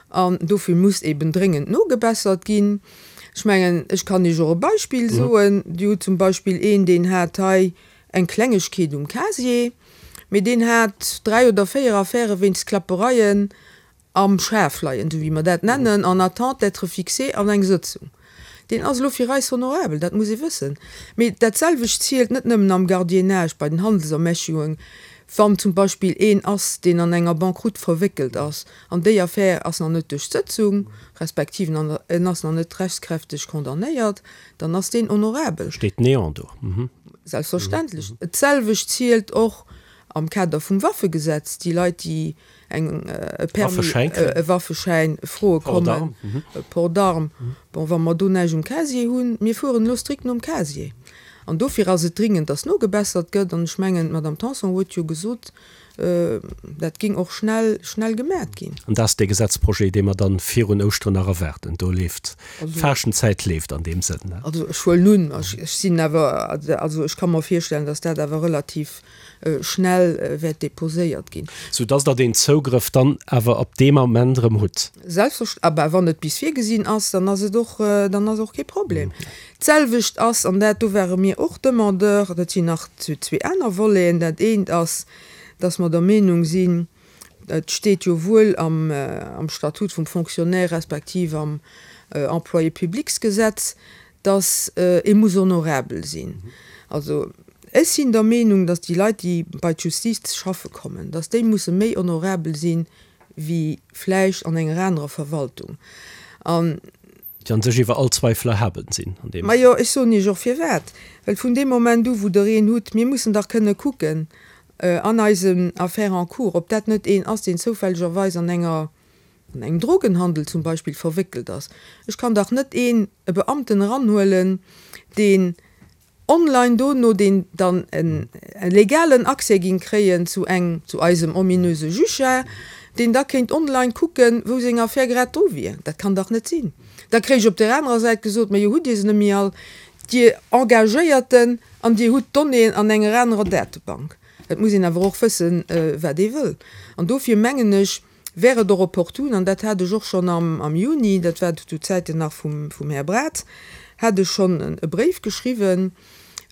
An dofir muss eben dréngend nogebessert ginn. Ech mengen, ech kann Iech och e Beispill soen. Dir hutt zum Beispill een, deen hat hei eng Klengegkeet um Casier, mee deen hat dräi oder véier Affäre wéinst Klappereien am Schaf leien, esou wéi mer dat nennen, en attente d'être fixé an eng Sëtzung. Deen ass elo fir eis honorabel, dat muss ee wëssen. Mee dat selwecht zielt net nëmmen am Gardiennage, bei den Handelsermächtigungen, wann zum Beispill een ass, deen an enger Banqueroute verwéckelt ass, an déi Affär ass nach net duerch d'Sëtzung, respektiv en ass nach net rechtskräfteg condamnéiert, dann ass deen honorabel. Steet Néant do. Selbstverständlech. D'selwecht zielt och am Kader vum Waffegesetz, déi Leit, déi eng, e Permis, e Waffeschäin froe kommen, e Port d'armes, bon, wa mer do näischt um Casier hunn, mir fueren elo strikt nom Casier. An dofir ass et dringend, dass nogebessert gëtt. An ech mengen, d'Madame Tanson huet jo gesot, dat géing och schnell, schnell gemaacht ginn. An dat ass dee Gesetzprojet, dee mer dann virun Ouschteren nach erwaarden. Do leeft, d'Faaschtenzäit leeft an deem Sënn. Also ech huelen un, ech sinn awer, also ech ka mer virstellen, dass dat awer relativ schnell wäert déposéiert ginn. Soudass Der deen Zougrëff dann awer ab deem Ament erëm hutt. Selbstverständlech. Ah ben, wann et bis virgesinn ass, dann ass et och, dann ass och kee Problem. D'selwecht ass, an dat do ware mir och Demandeur, dat sinn nach zwee aner Voleten, dat eent ass, dass mer der Meenung sinn, et steet jo wuel am Statut vum Fonctionnaire respektiv am Employé-publics-Gesetz, dass ee muss honorabel sinn. Also ech sinn der Meenung, dass déi Leit, déi bei d'Justiz schaffe kommen, dass déi musse méi honorabel sinn, wéi vläicht an enger anerer Verwaltung. An. Déi an sech iwwer all Zweifel erhaben sinn an deem. Majo, ech soen Iech och firwat. Well vun deem Moment u wou Der een hutt, mir mussen dach kënne kucken an eisen Affaires en cours, ob dat net een ass, deen zoufällegerweis an enger, an engem Drogenhandel zum Beispill verwéckelt ass. Ech kann dach net een, e Beamten eranhuelen, deen online dono, deen dann e legalen Accès géing kréien zu eng, zu eisem ominöse Juge, deen da kéint online kucken, wou seng Affär grad dru wier. Dat kann dach net sinn. Da kréich ech op där anerer Säit gesot, Majo, hutt Dir se net méi all, Dir Engagéierten, an Dir hutt d'Donnéeën an enger anerer Datebank. Et muss een awer och wëssen, wat ee wëll. An dofir mengen ech, wär et och opportun, an dat hat ech och schonn am Juni, dat war zu Zäiten nach vum Här Braz, hat ech schonn e Bréif geschriwwen,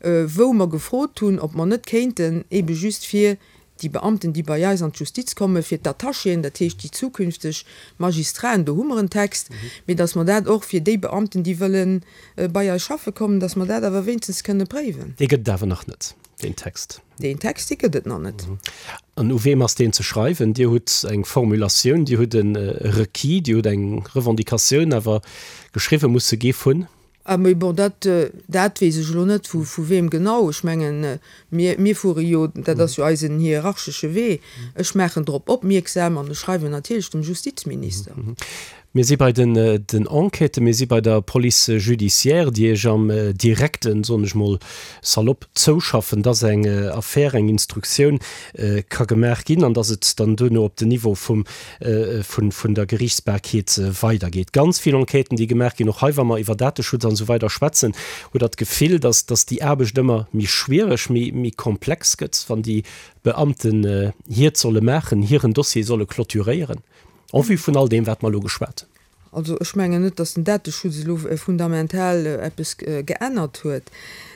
wou mer gefrot hunn, ob mer net kéinten eebe just fir déi Beamten, déi bei eis an d'Justiz kommen, fir d'Attachéen, dat heescht déi zukünfteg Magistraten, do hu mer en Text, mee datt mer dat och fir déi Beamten, déi wëlle bei eis schaffe kommen, datt mer dat awer wéinstens kënne préiwen. Dee gëtt et awer nach net, deen Text. Deen Text, dee gëtt et nach net. An u weem ass deen ze schreiwen? Dir hutt eng Formulatioun, Dir hutt e Requis, Dir hutt eng Revendicatioun, awer geschriwwe muss se gi vun? Ah, mee bon, dat, dat weess ech elo net, vu, vu weem genau. Ech mengen, mir, mir fuere jo, dat ass jo eisen hierarchesche Wee, ech maachen drop opmierksam an ech schreiwen natierlech dem Justizminister. Mir si bei den, den Enquêten, mir si bei der Police judiciaire, déi Iech am Direkten, soen ech mol salopp, zouschaffen, dass eng Affär, eng Instruktioun ka gemaach ginn an dass et dann duerno op den Niveau vum, vun, vun der Geriichtsbarkeet weidergeet. Ganz vill Enquêten, déi gemaach ginn, och hei, wa mer iwwer Dateschutz an esou weider schwätzen, hutt Der d'Gefill, dass, dass déi Aarbecht ëmmer méi schwiereg, méi, méi komplex gëtt, wann déi Beamten hiert solle maachen, hiren Dossier solle clôturéieren, en vue vun all deem, wat mer elo geschwat hunn? Also ech mengen net, dass den Dateschutz elo fundamental eppes geännert huet.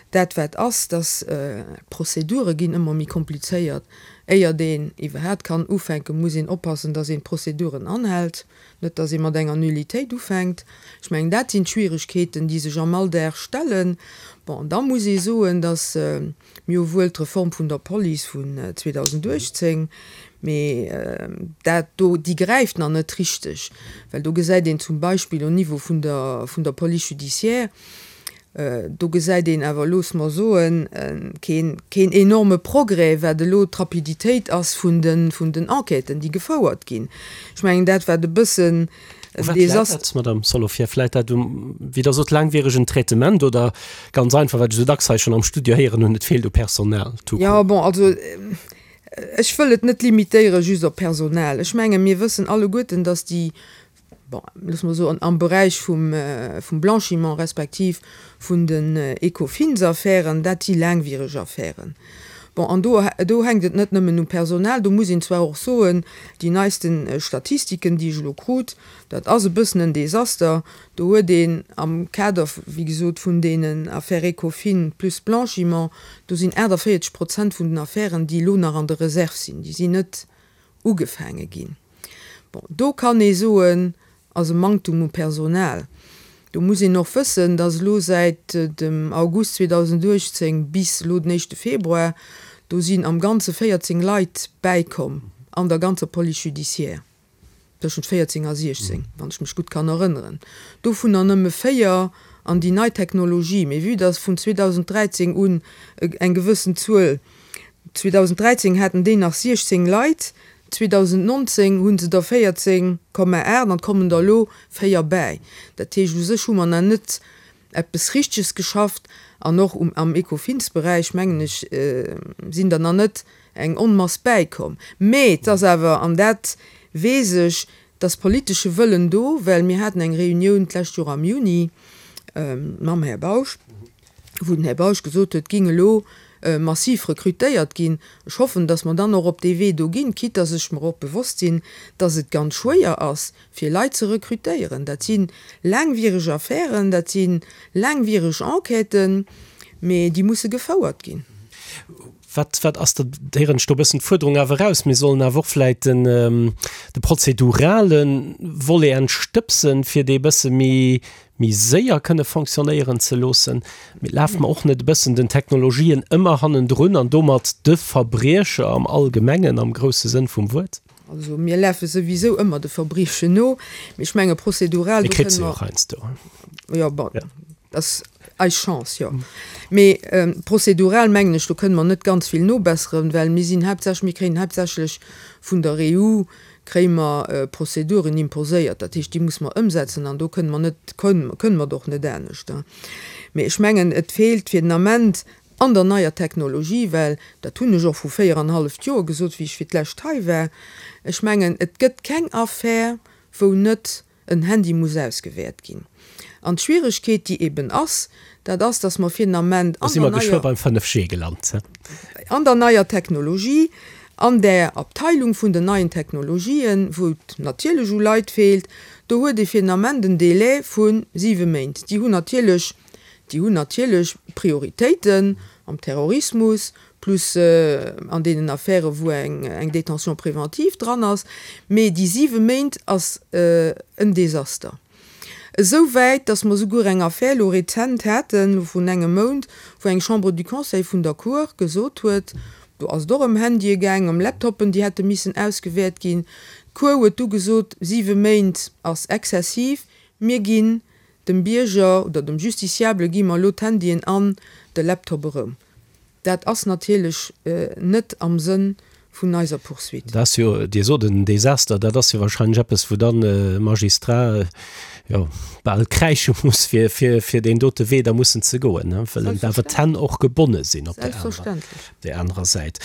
Dat wat ass, dass d'Prozedure ginn ëmmer méi komplizéiert. Éiert een iwwerhaapt kann ufänken, muss een oppassen, dass een d'Prozeduren anhält, net dass ee mat enger Nullitéit ufänkt. Ech mengen, dat sinn d'Schwieregkeeten, déi sech am Alldag stellen. Bon, an da muss ee soen, dass mir hu wuel d'Reform vun der Police vun zweedausenduechtzéng Mee dat do, déi gräift nach net richteg, well do gesäit een zum Beispill au Niveau vun der, vun der Police judiciaire, do gesäit een awer, loosse mer soen, keen, keen enorme Progrès, wat elo d'Rapiditéit ass vun de, vun den Enquêten, déi gefouert ginn. Ech mengen, dat wat e bëssen U wat läit dat, Madame Solovieff? Läit dat um, wéi Der sot, laangwieregen Traitement oder ganz einfach, wat ech esou dacks hei schonn am Studio héieren hunn, et feelt u Personal tout Jo, court? bon, also Ech wëll et net limitéiere just op Personal. Ech menge mir wëssen alleguerten, datt déi, bon, loosse mer soen, am Beräich vum Blanchiment respektiv vun den Ecofins-Affären, dat si laangwiereg Affären. Bon, an do, do hänkt et net nëmmen um Personal. Do muss een zwar och soen, déi neiste Statistiken, déi ech elo krut, dat ass e bëssen en Desaster. Do huet een am Kader, wéi gesot, vun deenen Affaire Ecofin plus Blanchiment, do sinn aachtavéierzeg Prozent vun den Affären, déi elo nach an der Reserve sinn, déi sinn net ugefaange ginn. Bon, do kann ee soen, ass e Manktum u Personal. Do muss een och wëssen, dass elo säit dem August zweedausenduechtzéng bis elo den éischte Februar, do sinn am Ganze véierzéng Leit bäikomm an der ganzer Police judiciaire, tëschent véierzéng a siechzéng, wann ech mech gutt kann erënneren, dovunner nëmme véier an déi nei Technologie. Mee vue dass vun zweedausenddräizéng un eng gewëssen Zuel, zweedausenddräizéng haten déi nach siechzéng Leit, zweedausendnonzéng hu se der véierzéng Komma aacht an et kommen der elo véier bäi. Dat heescht, u sech hu mer nach net eppes Richteges geschafft an och am Ecofinsberäich, mengen ech, sinn der nach net eng Onmass bäikomm. Mee et ass awer, an dat weess ech, et ass politesche Wëllen do, well mir haten eng Reunioun d'lescht Joer am Juni mam Här Bausch, wou den Här Bausch gesot huet, et géing elo massiv rekrutéiert ginn. Ech hoffen, dass mer dann och op dee Wee do ginn, quitte dass ech mer och bewosst sinn, dass et ganz schwéier ass, fir Leit ze rekrutéieren. Dat si laangwiereg Affären, dat si laangwiereg Enquêten, mee déi musse gefouert ginn. Wat, wat ass da, héieren ech do e bëssen d'Fuerderung awer eraus, mir sollen awer och vläicht den, de prozedurale Volet entstëbsen, fir dee bësse méi, méi séier kënne fonctionnéieren ze loossen. Mee lafe mer och net e bëssen den Technologien ëmmer hannendrun an domat de Verbriecher am Allgemengen, am grousse Sënn vum Wuert? Also mir lafe souwisou ëmmer de Verbriechen no, mee ech menge prozedural, do kënne mer. Heiansdo. Jo, bon, dat ass eis Chance, jo. Mee prozedural mengen ech, do kënne mer net ganz vill nobesseren, well mir sinn haaptsächlech, mir kréien haaptsächlech vun der E U kréie mer Prozeduren imposéiert, dat heescht, déi muss mer ëmsetzen an do kënne mer net, kënne mer et och net anescht. Mee ech mengen, et feelt fir den Ament an der neier Technologie, well dat hunn ech och vru véier an halleft Joer gesot, wéi ech fir d'lescht hei war, ech mengen, et gëtt keng Affär, wou net en Handy muss ausgewäert ginn. An d'Schwieregkeet, déi eben ass, dat ass, dass mer fir den Ament an der neier, beim fënnef G gelant. An der neier Technologie, an där Abteilung vun den neien Technologien, wou et natierlech u Leit feelt, do huet ee fir den Ament en Délai vu siwe Méint. Déi hunn natierlech, déi hunn natierlech Prioritéiten am Terrorismus plus an deenen Affären, wou eng Détention préventive dran ass, mee déi siwe Méint ass en Desaster. Esou wäit, datt mer souguer eng Affär elo rezent haten, elo vrun engem Mount, wou eng Chambre du Conseil vun der Cour gesot huet, do ass et och ëm Handye gaang, ëm Laptoppen, déi hätte missen ausgewäert ginn, d'Cour huet du gesot, siwe Méint ass exzessiv, mir ginn dem Bierger oder dem Justiciable gi mer elo d'Handyen an de Laptop erëm. Dat ass natierlech net am Sënn vun eiser Poursuite. Dat ass jo, Dir sot en Desaster, dat ass jo wahrscheinlech eppes, wou dann e Magistrat, jo, bal kräische muss, fir, fir, fir deen dote Wee da mussen ze goen, well en awer d'Hänn och gebonne sinn op där anerer, där anerer Säit.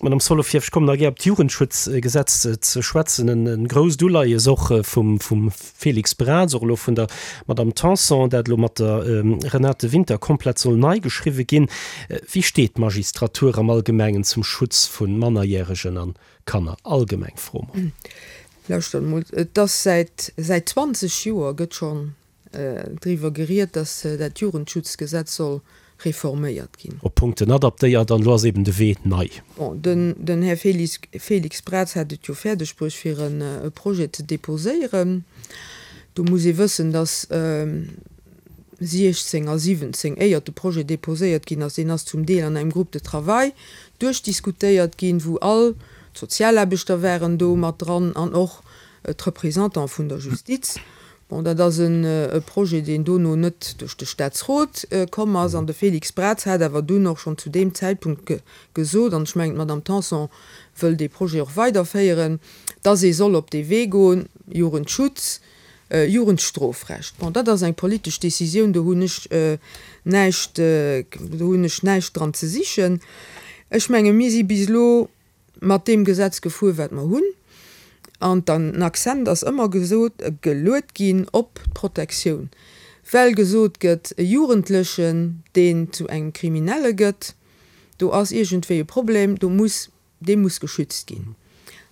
Madame Solovieff, ech kommen nach gär op d'Jugendschutzgesetz ze schwätzen, en grousst Uleies och vum, vum Félix Braz, och elo vun der Madame Tanson, dat elo mat der Renate Winter komplett soll nei geschriwwe ginn. Wéi steet d'Magistratur am Allgemengen zum Schutz vu Mannerjäregen an Kanner? Allgemeng Fro mol. Lauschtert emol, et ass säit, säit zwanzeg Joer gëtt schonn driwwer geriet, datt dat Jugendschutzgesetz soll reforméiert ginn. Op Punkten adaptéiert an elo ass eben de Wee nei. Bon, den, den Här Félix, Félix Braz hat et jo fäerdeg bruecht, fir en e Projet ze déposéieren. Do muss ee wëssen, datt siechzéng a siwwenzéng, éiert de Projet déposéiert ginn ass, deen ass zum Deel an engem Groupe de travail duerchdiskutéiert ginn, wou all d'Sozialaarbechter waren do mat dran an och d'Représentante vun der Justiz. Bon, dat ass e Projet, deen dono net duerch de Staatsrot komm ass. An de Félix Braz hat awer dunn och schonn zu deem Zäitpunkt gesot, an ech mengen, d'Madame Tanson wëll dee Projet och weiderféieren, dass ee soll op dee Wee goen, Jugendschutz, Jugendstrofrecht. Bon, dat ass eng politesch Décisioun, do hunn ech näischt, do hunn ech näischt dran ze sichen. Ech menge mir si bis elo mat deem Gesetz gefuer, wat mer hunn. An den Accent ass ëmmer gesot, geluet ginn op d'Protektioun, well gesot gëtt, e Jugendlechen, deen zu engem Kriminelle gëtt, do ass iergendwéi e Problem, do muss, dee muss geschützt ginn.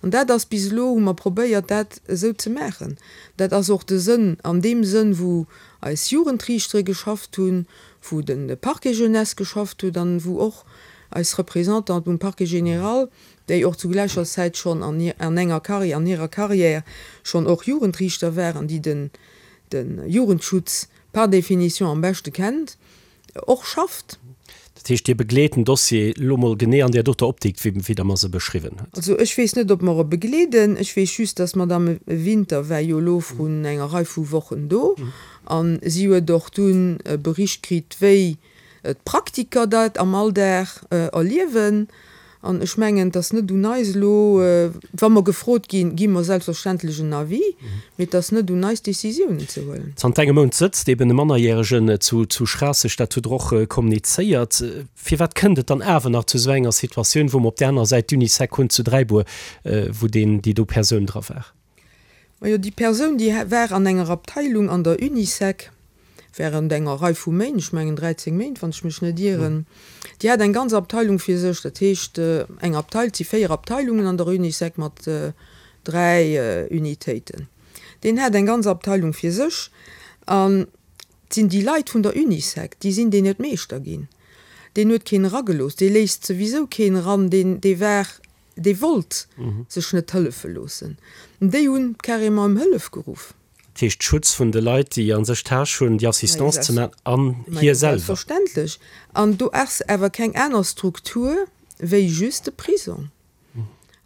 An dat ass bis elo, hu mer probéiert, dat esou ze maachen. Dat ass och de Sënn, an deem Sënn, wou eis Jugendriichtere geschafft hunn, wou de Parquet jeunesse geschafft huet an wou och eis Représentante um Parquet général, déi och zu gläicher Zäit schonn an an enger Carrière, an hirer Carrière schonn och Jugendriichter war an déi den de Jugendschutz par définition am beschte kennt, och schafft. Dat heescht, Dir begleet den Dossier elo mol genee an där doter Optik, wéi wéi Der mer se beschriwwen hutt? Also ech weess net, ob mer e begleeden. Ech weess just, dass d'Madame Winter war jo elo vrun enger Rei vu Wochen do a si huet och dunn e Bericht kritt, wéi d'Praktiker dat am Alldag erliewen. An ech mengen, et ass net un eis elo, wa mer gefrot ginn, gi mer selbstverständlech en Avis, mee et ass net un eis, Décisiounen ze huelen. Zanter engem Mount sëtzt eben e Mannerjäregen zu zu Schraasseg, dat hutt Der och kommunizéiert. Firwat kënnt et dann awer nach zu esou enger Situatioun, wou mer op där anerer Säit d'Unisec hunn zu Dräibuer, wou deen, déi do Persoun dra war? Majo, déi Persoun, déi war an enger Abteilung an der Unisec während enger Rei vu Méint, ech mengen dräizéng Méint, wann ech mech net ieren. Déi hat eng ganz Abteilung fir sech, dat heescht eng Abteil, et si véier Abteilungen an der Unisec mat dräi Unitéiten. Deen hat eng ganz Abteilung fir sech an et sinn déi Leit vun der Unisec, déi sinn deen net Meeschter ginn. Deen huet keen eragelooss, dee léisst souwisou keen eran, deen, dee war, dee wollt sech net hëllefe loossen. Déi hunn carrément ëm Hëllef geruff. Dat heescht Schutz vun de Leit, déi a sech d'Tâche hunn, déi Assistance ze maachen, an hie selwer. Selbstverständlech. An do ass awer keng aner Struktur wéi just de Prisong.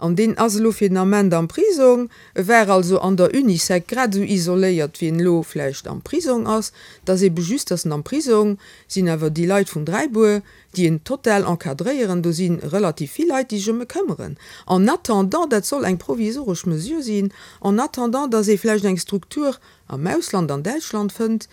An deen ass elo fir den Ament am Prisong. E war also an der Unisec grad esou isoléiert, wéi en elo vläicht am Prisong ass. Et ass ebe just, dass en am Prisong sinn awer déi Leit vun Dräibuer, déi en total encadréieren. Do si relativ vill Leit, déi sech ëm e këmmeren. En attendant, dat soll eng provisoresch Mesure sinn, en attendant, dass ee vläicht eng Struktur am Ausland, an Däitschland fënnt,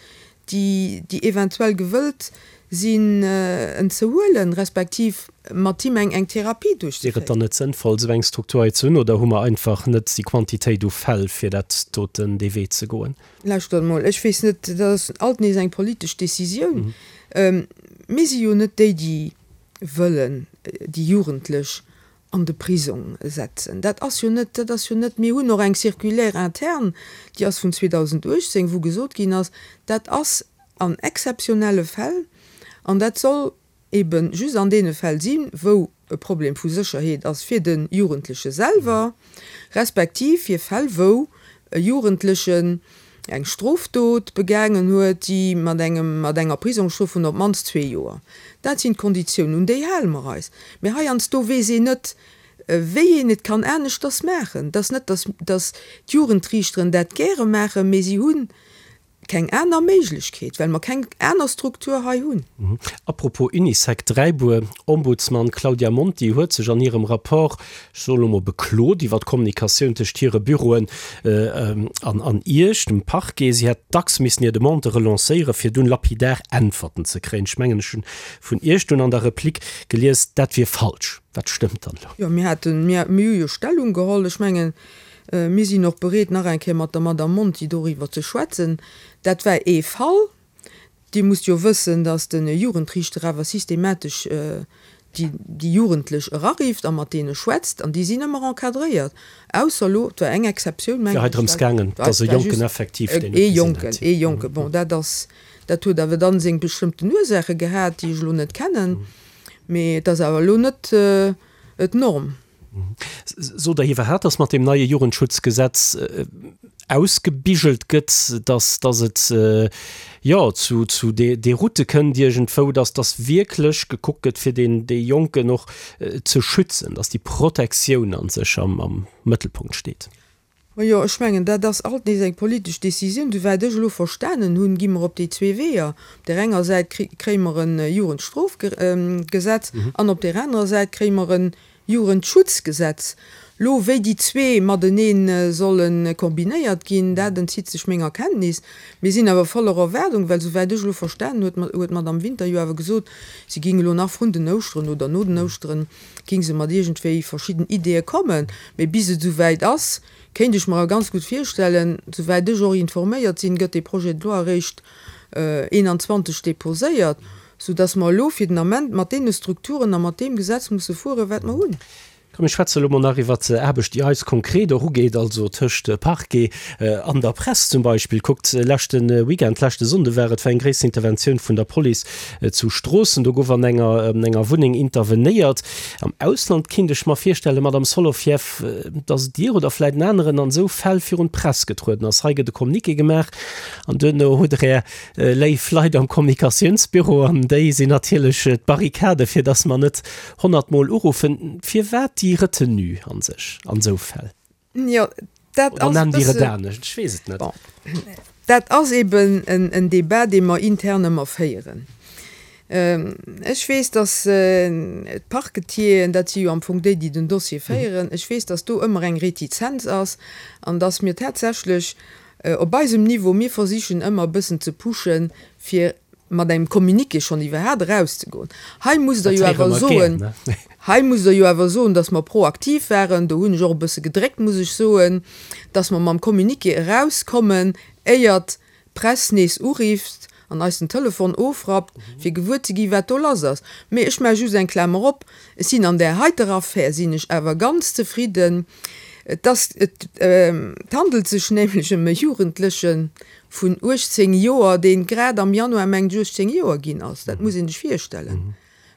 déi, déi eventuell gewëllt sinn, en ze huelen, respektiv mat him eng, eng Therapie Wier et duerchzeféieren. dann net sënnvoll, esou eng Struktur hei ze hunn, oder hu mer einfach net déi Quantitéit u Fäll, fir dat doten, dee Wee ze goen? Lauschtert emol, ech weess net, dat ass alt nees eng politesch Décisioun. Mir si jo net déi, déi wëllen déi Jugendlech an de Prisong setzen. Dat ass jo net, dat ass jo net, mir hunn och eng Circulaire interne, déi ass vun zweedausendachtzéng wou gesot ginn ass, dat ass an exzeptionelle Fäll an dat soll ebe just an deene Fäll sinn, wou e Problem vu Sécherheet ass fir de Jugendleche selwer, respektiv fir Fäll, wou e Jugendlechen eng Strofdot begaangen huet, déi mat engem, mat enger Prisongsstrof vun op d'mannst zwee Joer. Dat sinn d'Konditiounen, un déi hale mer eis. Mee heiansdo weess een net, wéi een et kann aneschters maachen. Et ass net, dass, dass d'Jugendriichteren dat gäre maachen, mee si hunn keng aner Méiglechkeet, well mer keng aner Struktur hei hunn. A propos Unisec Dräibuer, Ombudsman Claudia Monti huet sech an hirem Rapport, ech soen elo mol, beklot iwwer d'Kommunikatioun tëscht hire Büroen an an Iech, dem Parquet. Si hätt dacks missen hir Demandë relancéieren, fir dunn lapidar Äntwerten ze kréien. Ech mengen, ech hunn vun Iech dunn an der Replik gelies, dat wier falsch. Wat stëmmt dann elo? Jo, mir haten, mir hu jo Stellung geholl. Ech mengen, mir sinn och bereet, nach eng Kéier mat der Madame Monti doriwwer ze schwätzen. Dat war ee Fall. Dir musst jo wëssen, datt de Jugendriichter awer systematesch déi déi Jugendlech erarifft a mat deene schwätzt, an déi sinn ëmmer encadréiert, ausser elo, et war eng Exceptioun, Et mengen war hei ech, drëms dat gaangen, war datt e war Jonken just effektiv deen ee et gesinn Jonken, hätt. ee Jonken. Bon, dat ass, dat huet awer dann seng bestëmmten Ursaache gehat, déi ech elo net kennen, mee et ass awer elo net d'Norm. Sot Der iwwerhaapt, datt mat deem neie Jugendschutzgesetz ausgebigelt gëtt, datt, datt et, jo, zu, zu Deroute kënnt iergendwou, datt, datt wierklech gekuckt gëtt, fir deen, dee Jonken och ze schützen, datt déi Protektioun a sech am, am Mëttelpunkt steet? Majo, ech mengen, dat ass alt nees eng politesch Décisioun. Souwäit ech elo verstanen hunn, gi mer op déi zwee Weeër. Op där enger Säit kréie mer e Jugendstrofgesetz an op där anerer Säit kréie mer e Jugendschutzgesetz. Elo, wéi déi zwee matenee solle kombinéiert ginn, dat entzitt sech menger Kenntnis. Mir sinn awer voller Erwaardung, well souwäit ech elo verstanen huet, huet d'Madame Winter jo awer gesot, si géing elo nach vrun den Ouschteren oder no den Ouschteren, géing se mat iergendwéi verschidden Ideeë kommen. Mee bis et esouwäit ass, kéint ech mer awer ganz gutt virstellen, souwäit ech och informéiert sinn, gëtt dee Projet de loi eréischt eenanzwanzeg déposéiert, soudass mer elo fir den Ament mat deene Strukturen a mat deem Gesetz musse fueren, wat mer hunn. Komm mir schwätze elo mol nach iwwert Aarbecht, déi eis konkret och ugeet, also tëscht Parquet an der Press zum Beispill. Kuckt, leschte Weekend, leschte Sonnde war et, war eng gréisser Interventioun vun der Police zu Stroossen. Do gouf an enger enger Wunneng intervenéiert. Am Ausland kinnt ech mer virstellen, Madamm Solovieff, dass Dir oder vläit en aneren an esou Fäll virun d'Press getrueden ass. Hei gëtt e Communiqué gemaach an duerno hutt Der Är léif Leit am Kommunikatiounsbüro an déi sinn natierlech d'Barrikade fir dass mer net honnert Mol uruffen. Firwat déi Retenue an sech an esou Fäll? Jo, dat Oder ass e nennt Dir et bësse, anescht? Ech weess et net. bon, dat ass eben en Débat, dee mer intern ëmmer féieren. Ech weess, dass d'Parquetieren, dat si jo am Fong déi, déi den Dossier féieren, ech weess, dass do ëmmer eng Retizenz ass an dass mir tatsächlech op eisem Niveau, mir versichen ëmmer e bëssen ze pushen, fir mat engem Communiqué schonn iwwerhaat erauszegoen. Hei musst Der Dat jo héiere awer mer gär, soen, ne? hei musst Der jo awer soen, dass mer proaktiv waren, do hunn ech och e bësse gedréckt, muss ech soen, dass mer mam Communiqué erauskommen, éiert d'Press nees urifft an eis den Telefon ofrappt, fir gewuer ze ginn, wat do lass ass. Mee ech maache just eng Klamer op, Ech sinn an där heiter Affär sinn ech awer ganz zefridden. Et ass, et handelt sech nämlech ëm e Jugendleche vun uechtzéng Joer, dee grad am Januar, mengt ech, uechtzéng Joer ginn ass. Dat muss ee sech virstellen.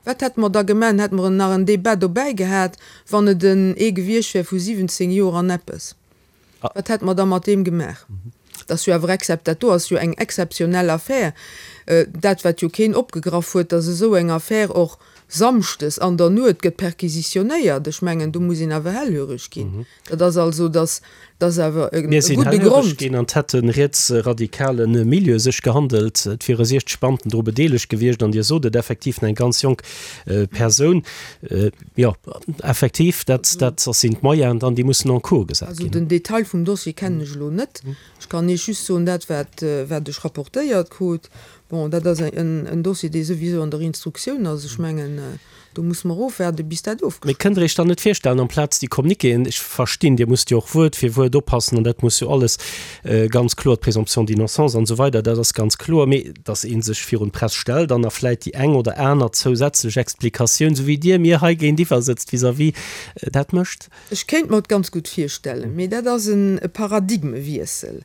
Wat hätte mer da gemaach? Hätte mer nach en Débat dobäi gehat, wann et en ee gewiescht wär vu siwwenzéng Joer an eppes? Wat hätte mer da mat deem gemaach? Dat ass jo awer excep-, dat do ass jo eng exzeptionell Affär. Dat, wat jo keen opgegraff huet, dass esou eng Affär och samschdes an der Nuet gëtt perquisitionéiert, ech mengen, do muss een awer hellhöreg ginn. Dat ass also, dass, dat ass awer e Mir sinn gudde hellhöreg Grond. ginn an et hätt e rietsradikale Milieu sech gehandelt. Et wiere siechzeg Beamten dru bedeelegt gewiescht an Dir sot et, effektiv eng ganz jonk Persoun. Jo, effektiv, dat, dat sinn d'Moyenen dann, déi mussen en cours gesat Also ginn. den Detail vum Dossier kennen ech elo net. Ech kann Iech just soen, dat wat, wat ech rapportéiert krut. Bon, dat ass en, en Dossier, dee souwisou an der Instruktioun ass. Ech mengen, do musse mer ofwaarden, bis dat Mee ofgeschloss. kënnt Der Iech dann net virstellen, amplaz déi Communiquéen, ech verstinn, Dir musst jo och Wuert fir Wuert oppassen an dat muss jo alles ganz kloer, d'Présomption d'innocence an esou weider, dat ass ganz kloer, mee dass ee sech virun d'Press stellt an da vläit déi eng oder aner zousätzlech Explikatioun, esou wéi Dir mir hei géintiwwer sëtzt, vis-à-vis, dat mécht? Ech kéint mer et ganz gutt virstellen, mee dat ass e Paradigmewiessel.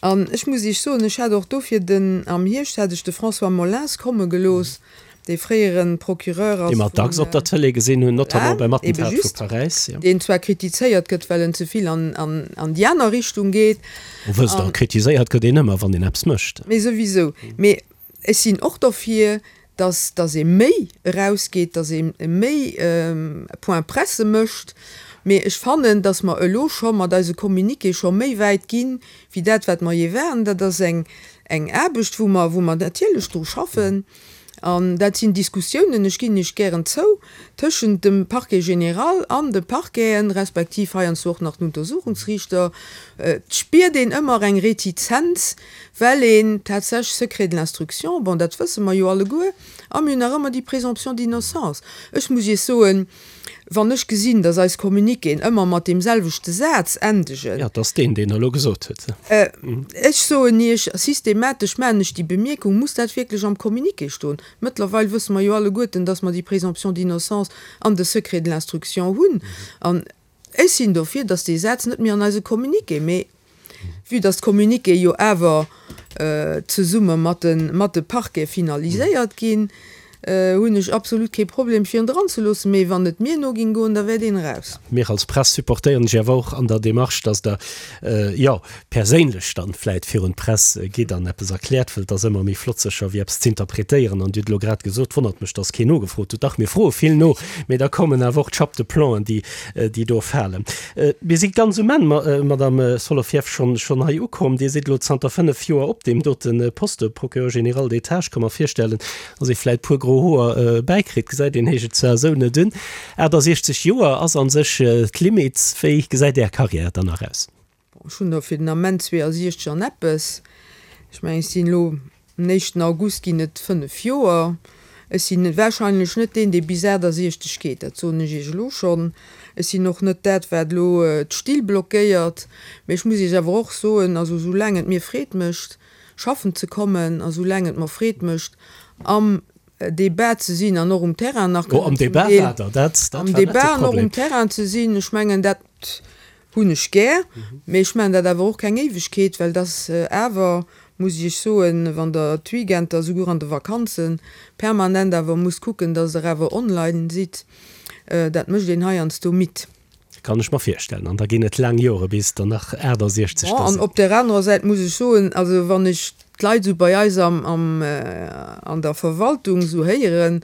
An ech muss Iech soen, ech hat och dofir den, am Hierscht hat ech de François Molins komme gelooss, dee fréiere Procureur Dee ass mer dacks vun, op der Tëlee gesinn hunn, notamment beim ebe Attentat vu just, Paräis, jo. deen zwar kritizéiert gëtt, well en ze vill an, an, an déi aner Richtung geet. Wo wësst Der, An, kritiséiert gëtt een ëmmer, wann een eppes mécht. mee souwisou. Mee ech sinn och dofir, dass, dass ee méi erausgeet, dass ee méi Point presse mécht. Mee ech fannen, dass mer elo scho mat eise Communiqué scho méi wäit ginn, wéi dat, wat mer jee waren. Dat ass eng, eng Aarbecht, wou mer, wou mer natierlech dru schaffen. An dat sinn Diskussiounen, ech ginn Iech gären zou, tëschent dem Parquet général an de Parqueten, respektiv heiansdo och nach den Untersuchungsriichter. Et spiert een ëmmer eng Retizenz, well een tatsächlech Secret de l'instruction, bon, dat wësse mer jo alleguer, a mir hunn nach ëmmer déi Présomption d'innocence. Ech muss Iech soen, wann ech gesinn, dass eis Communiquéen ëmmer mat deem selwechte Saz endegen, Jo, et ass deen, deen Der elo gesot hutt. Ech soen Iech, systematesch maachen ech déi Bemierkung, muss dat wierklech am Communiqué stoen? Mëttlerweil wësse mer jo alleguerten, dass mer déi Présomption d'innocence an de Secret de l'instruction hunn. An ech sinn dofir, dass dee Saz net méi an eise Communiqué, mee vue dass d'Communiqué jo awer zesumme mat de, mat de Parquete finaliséiert ginn, hunn ech absolut kee Problem fir en dran ze loossen, mee wann et mir no ging goen, da wär deen eraus. Mir als Press supportéieren lech awer och an der Démarche, dass Der, jo, perséinlech dann vläit virun d'Press gitt an eppes erkläert, well et ass ëmmer méi flott sécher wéi eppes z'interpretéieren. An Dir hutt elo grad gesot, wonnert mech, dass keen nogefrot huet. Dach, mir froe vill no, mee da kommen awer och d'Chape de plomben, déi, déi do falen. Mir si ganz um Enn, Madame Solovieff, schonn, schonn hei ukomm. Dir sidd elo zanter fënnef Joer op deem dote Poste, Procureur général d'État. Ech ka mer virstellen, dass ee vläit puer gro Hoer bäikritt, gesäit een heescht et zwar esou net un. aachtasechzeg Joer ass an sech d'Limit. Wéi gesäit Är Karriär dann nach aus? Bon, ech hunn der fir den Ament zweeasiechzeg an eppes. Ech mengen, ech sinn elo, am éischten August ginn et fënnef Joer. Ech sinn wahrscheinlech net deen, dee bis aachtasechzeg geet, dat soen ech Iech elo schonn. Ech sinn och net dat, wat elo d'Still blockéiert. Mee ech muss Iech awer och soen, also soulaang et mir Freed mécht, schaffen ze kommen a soulaang et mer Freed mécht, am Debat ze sinn an och um Terrain nach Oh, am kënnen zum Debat Deel war Der, dat, dat am war net de Debat an och Problem. um Terrain ze sinn, ech mengen, dat hunn ech gär, mee ech maachen dat awer och keng Éiwegkeet, well dass awer, muss ech Iech soen, wann Der d'Weekender, souguer an de Vakanzen, permanent awer musst kucken, dass Der awer online sidd, dat mécht een heiansdo midd. Kann ech mer virstellen. An da ginn et laang Jore bis der nach aachtasechzeg Bon, da an sinn. op där anerer Säit muss ech soen, also wann ech d'Leit esou bei eis am, am, an der Verwaltung esou héieren,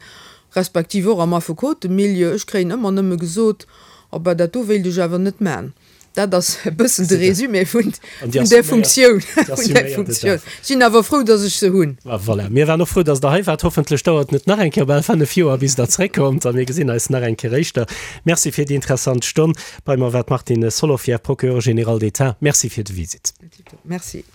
respektiv och am Affekotemilieu, ech kréien ëmmer nëmme gesot, Oh ben, dat do wéilt ech awer net man. Dat ass e bëssen de Résumé vun där Funktioun. Ech sinn awer frou, datt ech se hunn. Ah, voilà. Mir waren och frou, datt Der hei waart. Hoffentlech dauert et net nach eng Kéier bal fënnef Joer, bis Der zréckkommt a mir gesinn eis nach eng Kéier éischter. Merci fir déi interessant Stonn. Bei mer war d'Martine Solovieff, Procureure générale d'État. Merci fir de Visitt. Merci.